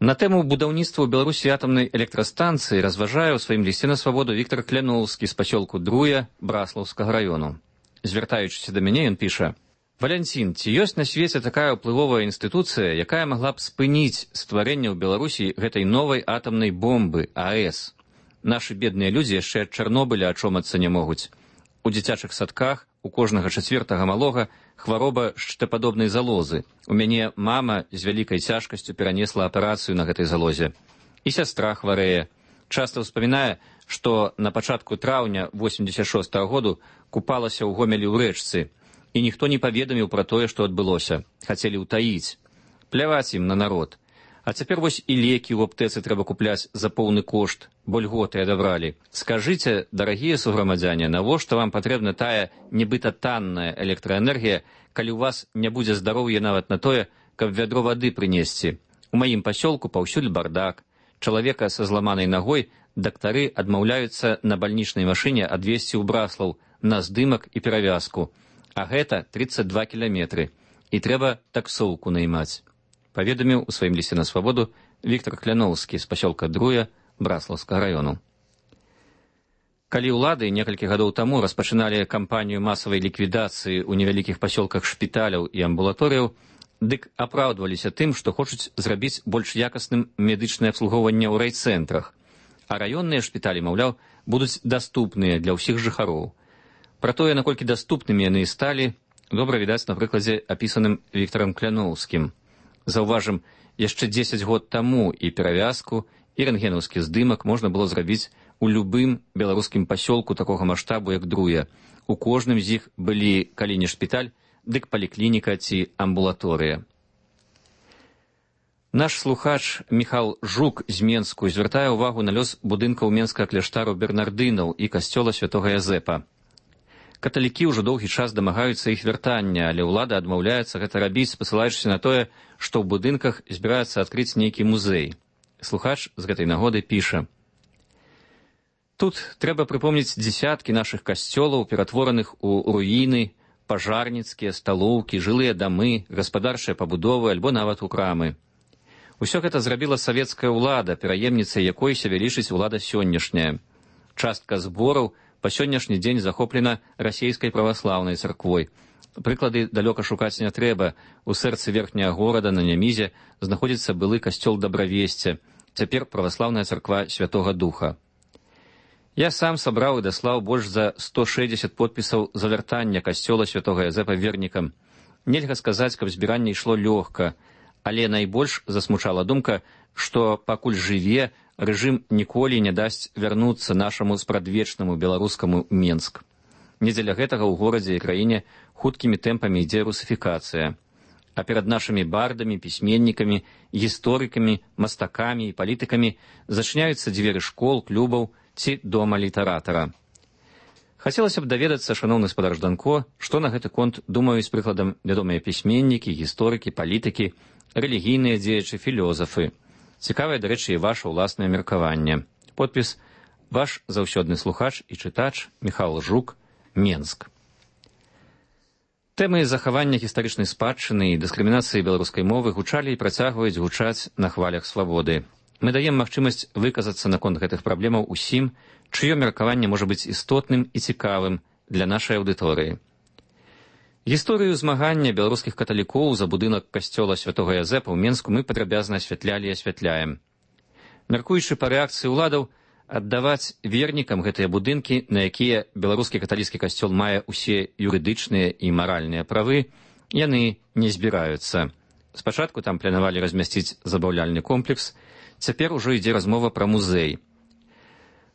На тэму будаўніцтва ў Беларусі атамнай электрастанцыі разважае ў сваім лісце на свабоду Віктор Кляноўскі з пасёлку Друя Браслаўскага раёну. Звяртаючыся да мяне, ён піша: «Валянцін, ці ёсць на свеце такая ўплывовая інстытуцыя, якая магла б спыніць стварэнне ў Беларусі гэтай новай атамнай бомбы АЭС? Нашы бедныя людзі яшчэ ад Чарнобыля ачомацца не могуць. У дзіцячых садках у кожнага чацвертага малога хвароба шчытападобнай залозы. У мяне мама з вялікай цяжкасцю перанесла аперацыю на гэтай залозе. І сястра хварэе. Часта ўспамінае, што на пачатку траўня восемьдесят шостага году купалася ў Гомелі ў рэчцы, і ніхто не паведаміў пра тое, што адбылося. Хацелі ўтаіць. Пляваць ім на народ. А цяпер вось і лекі ў аптэцы трэба купляць за поўны кошт, бо льготы адабралі. Скажыце, дарагія суграмадзяне, навошта вам патрэбна тая нібыта танная электраэнергія, калі ў вас не будзе здароўя нават на тое, каб вядро вады прынесці? У маім пасёлку паўсюль бардак. Чалавека са зламанай нагой дактары адмаўляюцца на бальнічнай машыне адвезці ў Браслаў на здымак і перавязку. А гэта тридцать два кіламетры. І трэба таксоўку наймаць», паведаміў у сваім лісце на свабоду Віктор Кляноўскі з пасёлка Друя Браслаўскага раёну. Калі ўлады некалькі гадоў таму распачыналі кампанію масавай ліквідацыі ў невялікіх пасёлках шпіталяў і амбулаторыяў, дык апраўдваліся тым, што хочуць зрабіць больш якасным медычнае абслугоўванне ў райцэнтрах, а раённыя шпіталі, маўляў, будуць даступныя для ўсіх жыхароў. Пра тое, наколькі даступнымі яны і сталі, добра відаць на прыкладзе, апісаным Віктарам Кляноўскім. Заўважым, яшчэ дзесяць год таму і перавязку, і рэнтгенаўскі здымак можна было зрабіць у любым беларускім пасёлку такога маштабу, як Друя. У кожным з іх былі, калі не шпіталь, дык паліклініка ці амбулаторыя. Наш слухач Міхал Жук з Менску звяртае ўвагу на лёс будынкаў менскага кляштару бернардынаў і касцёла святога Язэпа. Каталікі ўжо доўгі час дамагаюцца іх вяртання, але ўлада адмаўляецца гэта рабіць, спасылаючыся на тое, што ў будынках збіраецца адкрыць нейкі музей. Слухач з гэтай нагоды піша: «Тут трэба прыпомніць дзесяткі нашых касцёлаў, ператвораных у руіны, пажарніцкія, сталоўкі, жылыя дамы, гаспадарчыя пабудовы альбо нават у крамы. Усё гэта зрабіла савецкая ўлада, пераемніцай якой сябе лічыць улада сённяшняя. Частка збораў па сённяшні дзень захоплена расійскай праваслаўнай царквой. Прыклады далёка шукаць не трэба. У сэрцы верхняга горада на Нямізе знаходзіцца былы касцёл Дабравесця, цяпер праваслаўная царква Святога Духа. Я сам сабраў і даслаў больш за сто шэсцьдзесят подпісаў за вяртання касцёла Святога Язэпа вернікам. Нельга сказаць, каб збіранне ішло лёгка, але найбольш засмучала думка, што пакуль жыве, рэжым ніколі не дасць вярнуцца нашаму спрадвечнаму беларускаму Менск. Не дзеля гэтага ў горадзе і краіне хуткімі тэмпамі ідзе русіфікацыя. А перад нашымі бардамі, пісьменнікамі, гісторыкамі, мастакамі і палітыкамі зачыняюцца дзверы школ, клубаў ці дома літаратара. Хацелася б даведацца, шаноўны спадар Жданко, што на гэты конт думаюць прыкладам вядомыя пісьменнікі, гісторыкі, палітыкі, рэлігійныя дзеячы, філёзафы. Цікавае, дарэчы, і ваша ўласнае меркаванне. Подпіс: ваш заўсёдны слухач і чытач Міхал Жук, Менск. Тэмы захавання гістарычнай спадчыны і дыскрымінацыі беларускай мовы гучалі і працягваюць гучаць на хвалях свабоды. Мы даем магчымасць выказацца наконт гэтых праблемаў усім, чыё меркаванне можа быць істотным і цікавым для нашай аўдыторыі. Гісторыю змагання беларускіх каталікоў за будынак касцёла Святога Язэпа ў Менску мы падрабязна асвятлялі і асвятляем. Мяркуючы па рэакцыі ўладаў, аддаваць вернікам гэтыя будынкі, на якія беларускі каталіцкі касцёл мае ўсе юрыдычныя і маральныя правы, яны не збіраюцца. Спачатку там планавалі размясціць забаўляльны комплекс, цяпер ужо ідзе размова пра музей.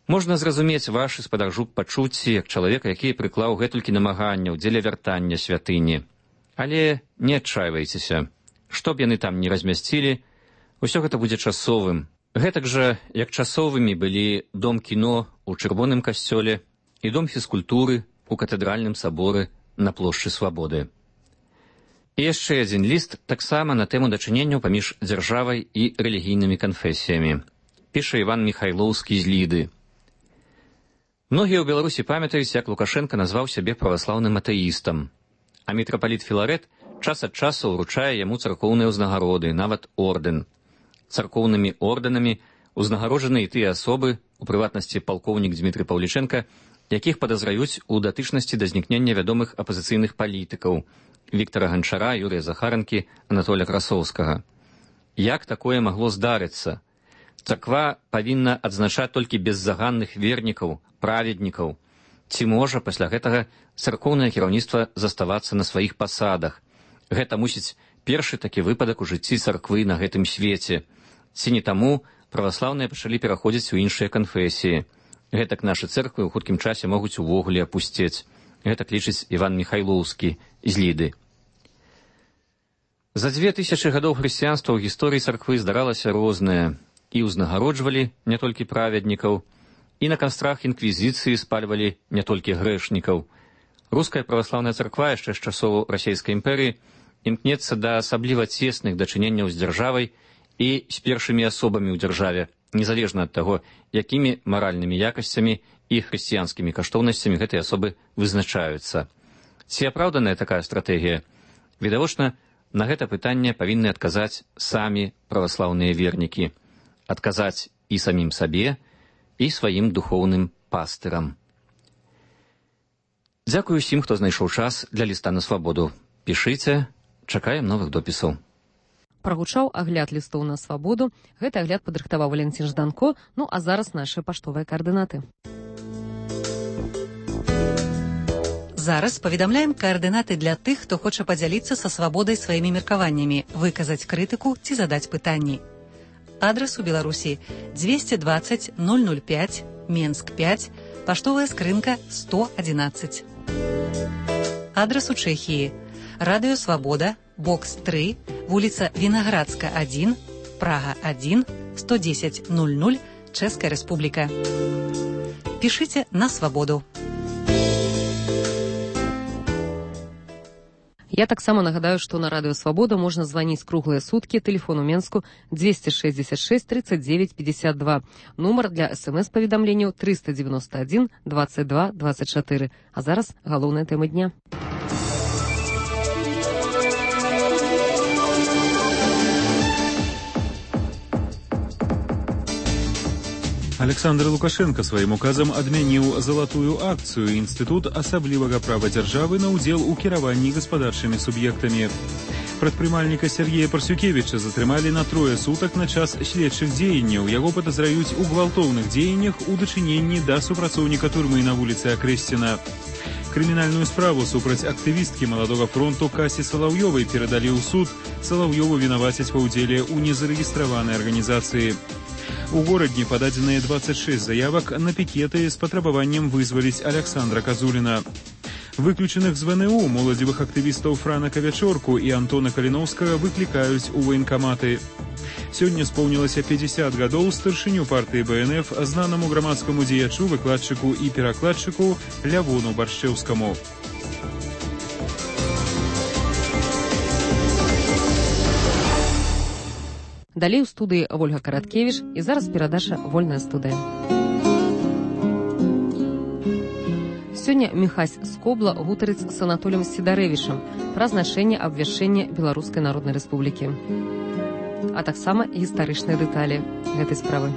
Можна зразумець вашы, спадар Жук, пачуцці як чалавека, які прыклаў гэтулькі намаганняў дзеля вяртання святыні. Але не адчайвайцеся. Што б яны там не размясцілі, усё гэта будзе часовым. Гэтак жа, як часовымі былі дом кіно ў Чырвоным касцёле і дом фізкультуры ў катэдральным саборы на плошчы Свабоды. І яшчэ адзін ліст таксама на тэму дачыненняў паміж дзяржавай і рэлігійнымі канфесіямі. Піша Іван Міхайлоўскі з Ліды. Многія ў Беларусі памятаюць, як Лукашенка назваў сябе праваслаўным атэістам, а мітрапаліт Філарэт час ад часу ўручае яму царкоўныя ўзнагароды, нават ордэн. Царкоўнымі ордэнамі ўзнагароджаны і тыя асобы, у прыватнасці палкоўнік Дзмітрый Паўлічэнка, якіх падазраюць у датычнасці да знікнення вядомых апазіцыйных палітыкаў Віктара Ганчара, Юрыя Захаранкі, Анатоля Красоўскага. Як такое магло здарыцца? Царква павінна адзначаць толькі беззаганных вернікаў, праведнікаў. Ці можа пасля гэтага царкоўнае кіраўніцтва заставацца на сваіх пасадах? Гэта мусіць першы такі выпадак у жыцці царквы на гэтым свеце. Ці не таму праваслаўныя пачалі пераходзіць у іншыя канфесіі. Гэтак нашы цэрквы ў хуткім часе могуць увогуле апусцець. Гэтак лічыць Іван Міхайлоўскі з Ліды. За дзве тысячы гадоў хрысціянства ў гісторыі царквы здаралася рознае. І ўзнагароджвалі не толькі праведнікаў, і на кастрах інквізіцыі спальвалі не толькі грэшнікаў. Руская праваслаўная царква яшчэ з часоў расійскай імперыі імкнецца да асабліва цесных дачыненняў з дзяржавай і з першымі асобамі ў дзяржаве, незалежна ад таго, якімі маральнымі якасцямі і хрысціянскімі каштоўнасцямі гэтыя асобы вызначаюцца. Ці апраўданая такая стратэгія? Відавочна, на гэта пытанне павінны адказаць самі праваслаўныя вернікі. Адказаць і самім сабе, і сваім духоўным пастырам. Дзякую усім, хто знайшоў час для ліста на свабоду. Пішыце, чакаем новых допісаў. Прагучаў агляд лістоў на свабоду. Гэты агляд падрыхтаваў Валентин Жданко, ну а зараз нашы паштовыя каардынаты. Зараз паведамляем каардынаты для тых, хто хоча падзяліцца са свабодай сваімі меркаваннямі, выказаць крытыку ці задаць пытанні. Адрес у Беларусі двести двадцать ноль ноль пять, Менск пять, паштовая скрынка сто одиннадцать. Адрес у Чэхіі. Радыё Свабода, бокс три, вуліца Вінаградска один, Прага один, сто десять ноль ноль, Чэшская Рэспубліка. Пішыце на свабоду. Я таксама нагадаю, што на радыё Свабода можна званіць круглыя суткі, тэлефон у Менску двести шестьдесят шесть тридцать девять пятьдесят два, нумар для смс-паведамленняў триста девяносто один двадцать два двадцать четыре. А зараз галоўная тэма дня. Александр Лукашенко сваім указам адмяніў залатую акцыю інстытут асаблівага права дзяржавы на ўдзел у кіраванні гаспадарчымі суб'ектамі. Прадпрымальніка Сергея Парсюкевіча затрымалі на трое сутак на час следчых дзеянняў. Яго падазраюць у гвалтоўных дзеяннях у дачыненні да супрацоўніка турмы на вуліцы Акрэсціна. Крымінальную справу супраць актывісткі маладога фронту Касі Салаўёвай перадалі ў суд. Салаўёву вінавацяць ва ўдзеле ў незарэгістраванай арганізацыі. У горадні пададзеныя двадцать шесть заявак на пікеты з патрабаваннем вызваліць Александра Казуліна. Выключаных з ВНУ моладзевых актывістаў Франака Вячорку і Антона Каліноўскага выклікаюць у ваенкаматы. Сёння споўнілася пятьдесят гадоў старшыню партыі БНФ знанаму грамадскаму дзеячу, выкладчыку і перакладчыку Лявону Баршчэўскаму. Далей у студыі Вольга Караткевіч і зараз перадача «Вольная студыя». Сёння Міхась Скобла гутарыць з Анатолем Сідарэвічам пра значэнне абвяшчэння Беларускай Народнай Рэспублікі, а таксама гістарычныя дэталі гэтай справы.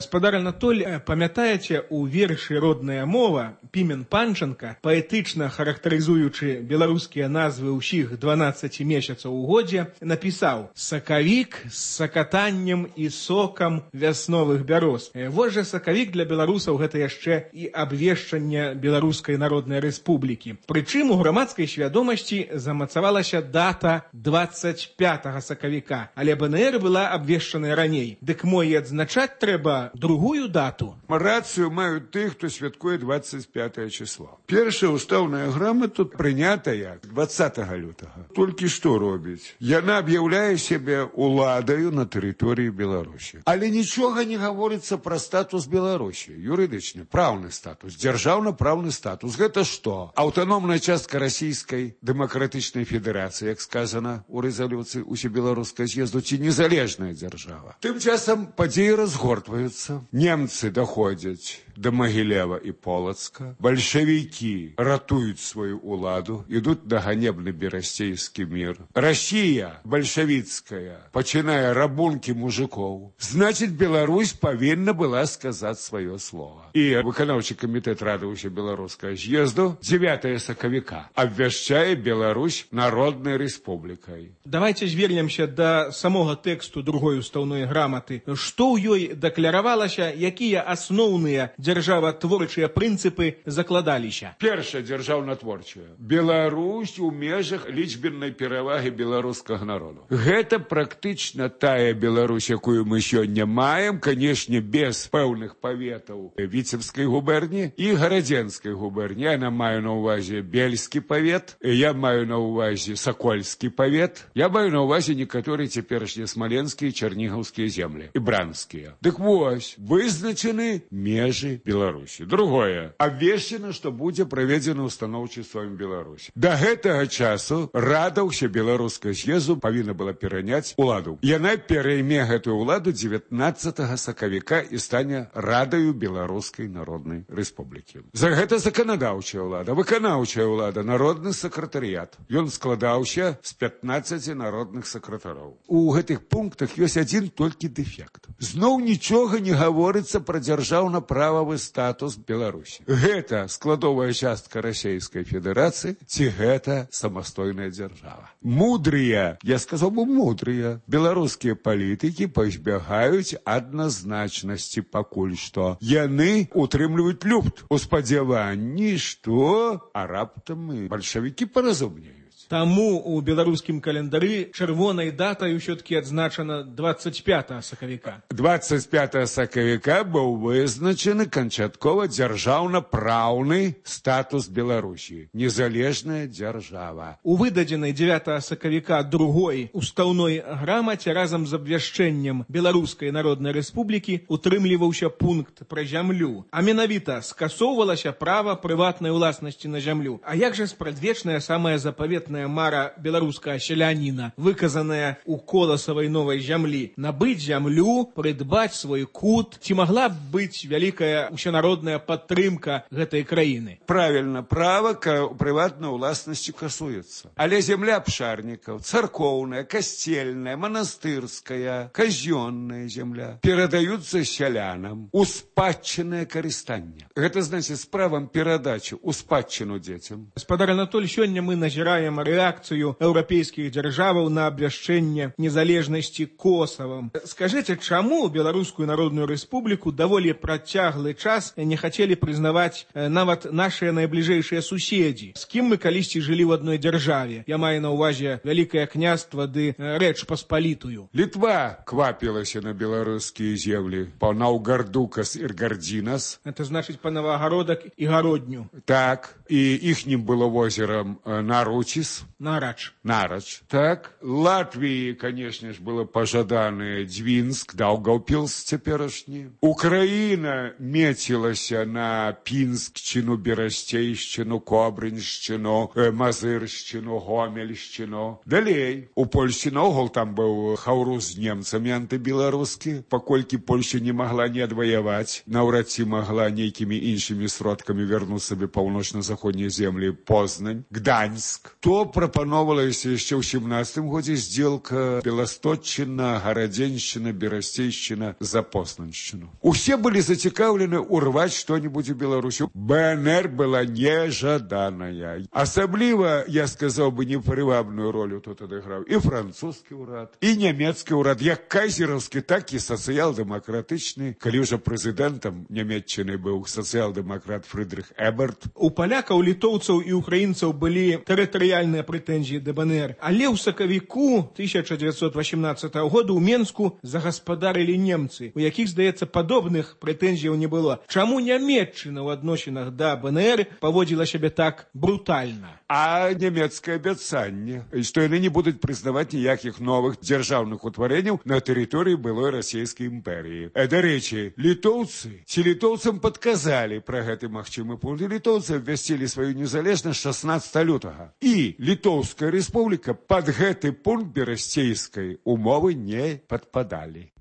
Гаспадар Анатоль, памятаеце, у вершы «Родная мова» Пімен Панченка, паэтычна характарызуючы беларускія назвы ўсіх дванаццаці месяцаў у годзе, напісаў «Сакавік з сакатаннем і сокам вясновых бяроз». Вось жа сакавік для беларусаў гэта яшчэ і абвешчанне Беларускай Народнай Рэспублікі. Прычым у грамадскай свядомасці замацавалася дата двадцать пятага сакавіка, але БНР была абвешчаная раней. Дык мо і адзначаць трэба другую дату. Рацыю маюць тых, хто святкуе двадцать пятое число. Першая устаўная грамата прынятая двадцатага лютага. Толькі што робіць? Яна аб'яўляе сябе уладаю на тэрыторыі Беларусі. Але нічога не гаворыцца пра статус Беларусі. Юрыдычны, праўны статус, дзяржаўна-праўны статус. Гэта што? Аўтаномная частка расійскай дэмакратычнай федэрацыі, як сказана у рэзалюцыі усебеларускага з'езду, ці незалежная дзяржава. Тым часам падзеі разгортваюцца. Немцы доходят до Могилева и Полоцка. Большевики ратуют свою уладу, идут на ганебный берастейский мир. Россия большевицкая, починая рабунки мужиков. Значит, Беларусь повинна была сказать свое слово. И выканаўчы комитет Рады Усебеларускага з'езду девятого сакавіка обвяшчае Беларусь Народной Республикой. Давайте звернемся до самого тексту другой устаўной граматы. Что ў ёй дэкларавалася, якія асноўныя дзяржаватворчыя прынцыпы закладаліся? Першая дзяржаўнатворчая. Беларусь у межах лічбеннай перавагі беларускага народу. Гэта практычна тая Беларусь, якую мы сёння маем, канешне, без пэўных паветаў Віцебскай губерні і Гарадзенскай губерні. Я маю на ўвазе Бельскі павет, я маю на ўвазе Сакольскі павет, я маю на ўвазе некаторыя цяперашнія смаленскія, чарнігаўскія землі і бранскія. Дык вось, вызначаны межы Беларусі. Другое, абвешчана, што будзе праведзена устаноўчы сваім Беларусі. Да гэтага часу Рада Усебеларускага з'езду павінна была пераняць уладу. Яна перайме гэтую уладу дзевятнаццатага сакавіка і стане Радаю Беларускай Народнай Рэспублікі. За гэта заканадаўчая ўлада, выканаўчая ўлада, народны сакратарыят. Ён складаўся з пятнаццаці народных сакратароў. У гэтых пунктах ёсць адзін толькі дэфект. Зноў нічога не гаворыцца пра дзяржаўна-прававы статус Беларусі. Гэта складовая частка Расійскай Федэрацыі ці гэта самастойная дзяржава. Мудрыя, я сказаў бы мудрыя, беларускія палітыкі пазбягаюць адназначнасці пакуль што. Яны утрымліваюць люфт у спадзяванні, што а раптам і бальшавікі паразумнеюць. Таму у беларускім календары чырвонай датай ўсё-таки адзначана двадцать пятого сакавіка. двадцать пятого сакавіка быў вызначаны канчаткова дзяржаўна-праўны статус Беларусі. Незалежная дзяржава. У выдадзенай дзевятого сакавіка другой устаўной грамаце разам з абвяшчэннем Беларускай Народнай Рэспублікі утрымліваўся пункт пра зямлю. А менавіта скасоўвалася права прыватнай уласнасці на зямлю. А як жа спрадвечная самая запаветная мара беларускага селяніна, выказаная у коласавай новай зямлі, набыць зямлю, прыдбаць свой кут, ці магла б быць вялікая усенародная падтрымка гэтай краіны? Правильно, права к прыватнай уласнасці касуецца. Але земля абшарнікаў, царкоўная, касцельная, манастырская, казённая земля перадаюцца сялянам у спадчыннае карыстанне. Гэта значыць з правам перадачы у спадчыну дзецям. Гаспадар Анатоль, сёння мы назіраем рэакцыю еўрапейскіх дзяржаваў на абвяшчэнне незалежнасці Косавам. Скажыце, чаму Беларускую Народную Рэспубліку даволі працяглы час не хацелі прызнаваць нават нашыя найбліжэйшыя суседзі, з кім мы калісьці жылі ў адной дзяржаве? Я маю на ўвазе Вялікае княства ды Рэч Паспалітую. Літва квапілася на беларускія землі па Наўгардукас і Гардзінас. Это значыць па Новагародак і Гародню. Так, і іхнім было возерам Наручіс. Нарач. Нарач. Так. Латвии, конечно ж, было пожаданы Двинск, Даугавпилс цяперашні. Украина мецілася на Пінскчыну, Берасцейшчыну, Кобрыншчыну, Мазыршчыну, Гомельшчыну. Далей. У Польшчы наогул там быў хаўру з немцамі антыбеларускі, паколькі Польшча не магла не адваяваць, наўрад ці магла нейкімі іншымі сродкамі вярнуць сабе паўночна-заходнія землі Познань, Гданьск. То прапановалася яшчэ ў сямнадцатым годзе сделка Беласточчына, Гарадзеншчына, Берасцейшчына за Познаншчыну. Усе былі зацікаўлены урваць што-небудзь у Беларусі. БНР была нежаданая. Асабліва, я сказаў бы, непрывабную ролю тут адыграў і французскі ўрад, і нямецкі ўрад, як кайзераўскі, так і сацыял-дэмакратычны. Калі ўжо прэзідэнтам Нямецчыны быў сацыял-дэмакрат Фрыдрых Эберт. У палякаў, літоўцаў і украінцаў былі тэрытарыяльныя прэтэнзіі да БНР. Але ў сакавіку тысяча дзевяцьсот васемнаццатага года ў Менску загаспадарылі немцы, у якіх, здаецца, падобных прэтэнзіяў не было. Чаму Нямецчына ў адносінах да БНР паводзіла сябе так брутальна? А нямецкае абяцанне, што яны не будуць прызнаваць ніякіх новых дзяржаўных утварэнняў на тэрыторыі былой расійскай імперыі. Дарэчы, літоўцы ці літоўцам падказалі пра гэты магчымы пункт. Літоўцы абвясцілі сваю незалежнасць шаснаццатага лютага. І Літоўская рэспубліка пад гэты пункт берасцейскай умовы не падпадалі.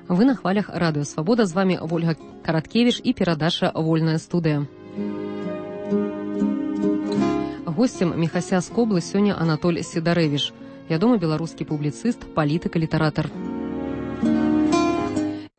Вы на хвалях Радыё Свабода. З вами Вольга Караткевіч і перадача «Вольная студыя». Гостем Міхася з Коблы сёння Анатоль Сідарэвіч, вядомы беларускі публіцыст, палітык і літаратар.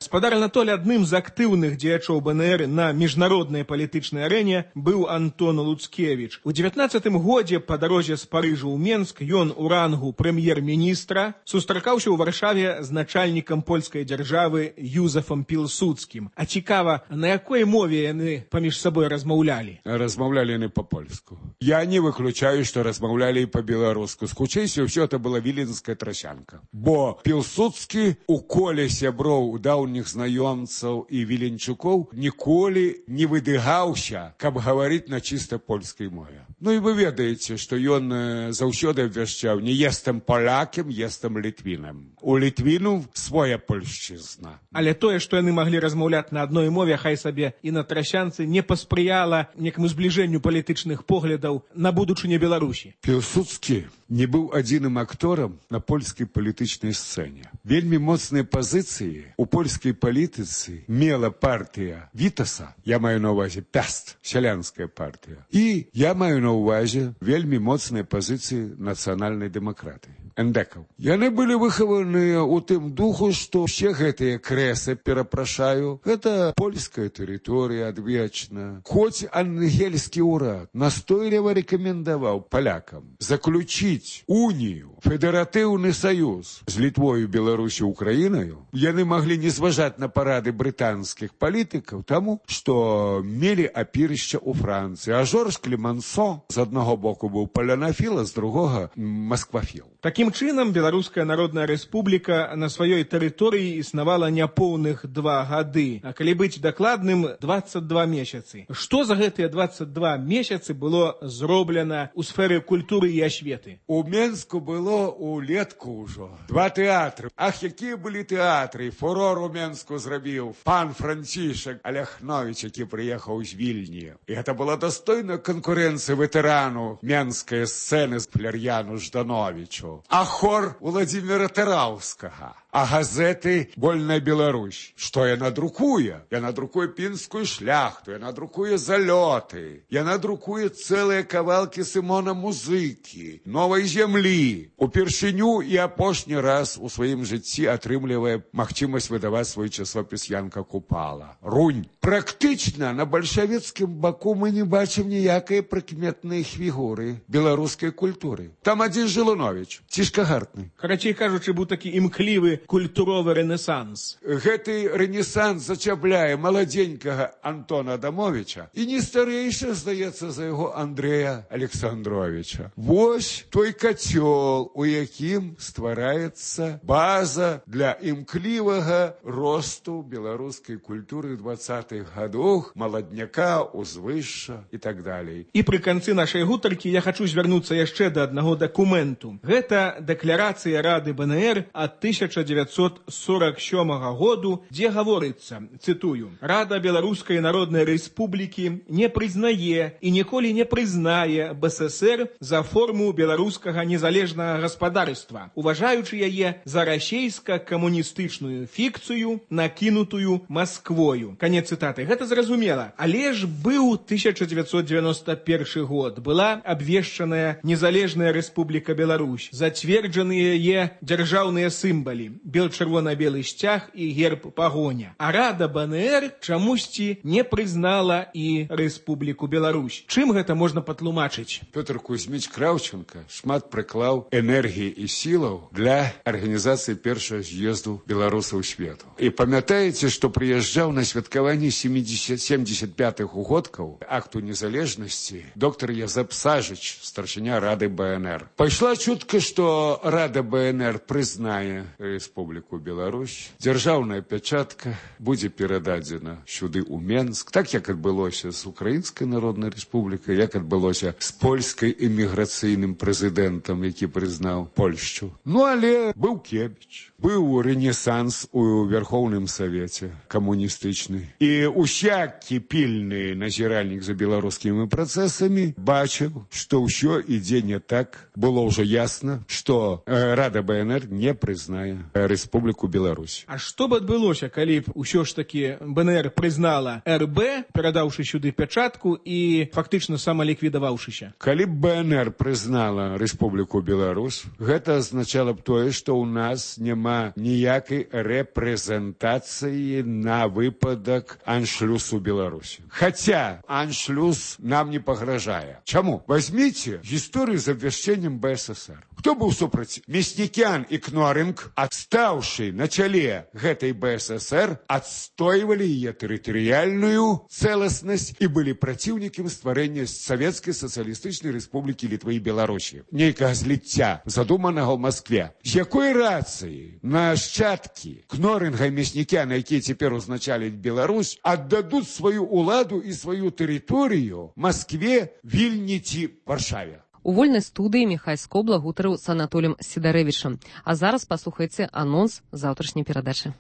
Гаспадар Анатоль, адным з актыўных дзеячоў БНР на міжнароднай палітычнай арэне быў Антон Луцкевіч. У дзевятнаццатым годзе па дарозе з Парыжа ў Менск ён у рангу прэм'ер-міністра сустракаўся ў Варшаве з начальнікам польскай дзяржавы Юзефам Пілсудскім. А цікава, на якой мове яны паміж сабой размаўлялі? Размаўлялі яны па-польску. Я не выключаю, што размаўлялі і па-беларуску. Скучэйся, ўсё это была віленская трасянка. Бо Пілсудскі у коле сяброў даўніх знаёмцаў і віленчукоў ніколі не выдыгаўся, каб гаварыць на чыста польскай мове. Ну і вы ведаеце, што ён заўсёды абвяшчаў: не естам палякам, естам літвінам. У літвіну свая польшчызна. Але тое, што яны маглі размаўляць на адной мове, хай сабе і на трасянцы, не паспрыяла некаму збліжэнню палітычных поглядаў на будучыню Беларусі. Пілсудскі не быў адзіным акторам на польскай палітычнай сцэне. Вельмі моцныя пазіцыі у польскай палітыцы мела партыя Вітаса, я маю на ўвазе Пяст, сялянская партыя. І я маю на ўвазе вельмі моцныя пазіцыі нацыянальнай дэмакратыі. эндекаў. Яны былі выхаваныя ў тым духу, што ўсе гэтыя крэсы, перапрашаю, гэта польская тэрыторыя адвечна. Хоць ангельскі ўрад настойліва рэкамендаваў палякам заключіць унію, федэратыўны саюз з Літвою, Беларусі, Украінаю, яны маглі не зважаць на парады брытанскіх палітыкаў, таму, што мелі апірышча ў Францыі. А Жорж Клемансо з аднаго боку быў палянафіл, а з другога масквафіл. Такім чынам, Беларуская Народная Рэспубліка на сваёй тэрыторыі існавала няпоўных два гады, а калі быць дакладным, дваццаць два месяцы. Што за гэтыя дваццаць два месяцы было зроблена ў сферы культуры і асветы? У Менску было улетку ўжо два тэатры. Ах, якія былі тэатры! Фурор у Менску зрабіў пан Францішак Аляхновіч, які прыехаў з Вільні. І гэта была дастойная канкурэнцыя ветэрану менскай сцэны з Фляр'яну Ждановічу. А хор Владзіміра Тараўскага. А газеты «Вольная Беларусь». Што яна друкуе? Яна друкуе пінскую шляхту, яна друкуе залёты, яна друкуе цэлыя кавалкі Сымона Музыкі, новай зямлі. Упершыню і апошні раз у сваім жыцці атрымлівае магчымасць выдаваць свой часопіс Янка Купала. Рунь. Практычна на бальшавіцкім баку мы не бачым ніякай прыкметнай фігуры беларускай культуры. Там адзін Жылуновіч, цішкагартны. Карацей кажучы, быў такі імклівы культуровы рэнесанс. Гэты рэнесанс зачапляе маладзенькага Антона Адамовича і не старэйшы, здаецца, за яго Андрэя Александровича. Вось той кацёл, у якім ствараецца база для імклівага росту беларускай культуры двадцатых гадоў, маладняка, узвышша і так далей. І пры канцы нашай гутаркі я хачу звярнуцца яшчэ да аднаго дакументу. Гэта дэкларацыя Рады БНР ад тысяча дзевяцьсот сорок сёмага году, дзе гаворыцца, цытую: «Рада Беларускай Народнай Рэспублікі не прызнае і ніколі не прызнае БССР за форму беларускага незалежнага гаспадарства, уважаючы яе за расейска-камуністычную фікцыю, накінутую Масквою». Канец цытаты. Гэта зразумела. Але ж быў тысяча дзевяцьсот дзевяносто першы год. Была абвешчаная незалежная Рэспубліка Беларусь. Зацверджаныя яе дзяржаўныя сімвалы. Бел-чырвона-белы сцяг і герб пагоня. А Рада БНР чамусьці не прызнала і Рэспубліку Беларусь. Чым гэта можна патлумачыць? Пётр Кузьміч Краўченка шмат прыклаў энергіі і сілаў для арганізацыі першага з'езду беларусаў свету. І памятаеце, што прыязджаў на святкаванне семьдесят пятых угодкаў акту незалежнасці доктор Язэп Сажыч, старшыня Рады БНР. Пайшла чутка, што Рада БНР прызнае Рэспубліку Беларусь, дзяржаўная пячатка будзе перададзена сюды ў Менск, так як адбылося з Украінскай Народнай Рэспублікай, як адбылося з польскай эміграцыйным прэзідэнтам, які прызнаў Польшчу. Ну, але быў Кебіч, быў рэнесанс у Верхоўным Савеце камуністычны. І усякі пільны назіральнік за беларускімі працэсамі бачыў, што ўсё ідзе не так. Было ўжо ясна, што Рада БНР не прызнае Рэспубліку Беларусь. А што б адбылося, калі б усё ж такі БНР прызнала РБ, перадаўшы сюды пячатку і фактычна самаліквідаваўшыся? Калі б БНР прызнала Рэспубліку Беларусь, гэта азначала б тое, што ў нас няма ніякай рэпрэзентацыі на выпадак аншлюсу Беларусі. Хаця аншлюс нам не пагражае. Чаму? Возьмите гісторыю з абвяшчэннем БССР. Хто быў супраць? Мяснікян і Кнорынг, адстаўшы на чале гэтай БССР, адстойвалі яе тэрытарыяльную цэласнасць і былі праціўнікам стварэння Савецкай сацыялістычнай рэспублікі Літвы і Беларусі. Нейкага зліцця, задуманага ў Маскве. З якой рацыі нашчадкі Кнорынга і Мяснікяна, якія цяпер узначаляць Беларусь, аддадуць сваю ўладу і сваю тэрыторыю Маскве, Вільні ці Варшаве? У вольнай студыі Міхай Скобла гутарыў з Анатолем Сідарэвічам. А зараз паслухайце анонс заўтрашняй перадачы.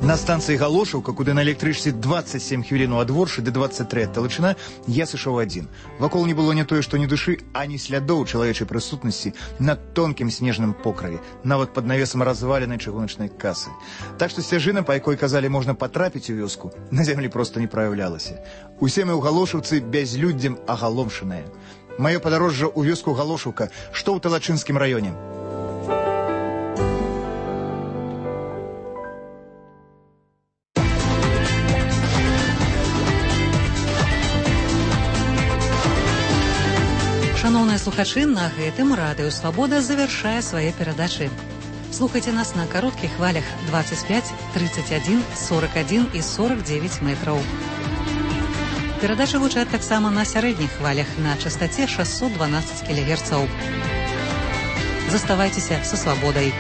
На станцыі Галошаўка, куды на электрычцы двадцать семь хвілін ад Воршы ды двадцать три ад Талычына, я сышоў адзін. Вакол не было не тое, што ні душы, ані слядоў чалавечай прысутнасці на тонкім снежным покраве, нават пад навесам разваленай чыгуначнай касы. Так што сцяжына, па якой казалі можна патрапіць у вёску, на зямлі проста не праяўлялася. Усе мы ў Галошаўцы бязлюддзем агаломшаныя. Маё падарожжа ў вёску Галошаўка, што ў Талачынскім раёне. Шановныя слухачы, на гэтым радыё «Свабода» завяршае свае перадачы. Слухайце нас на кароткіх хвалях двадцать пять, тридцать один, сорок один і сорок девять метраў. Перадачы гучаць таксама на сярэдніх хвалях на частаце шестьсот двенадцать кілогерцаў. Заставайцеся са «Свабодай».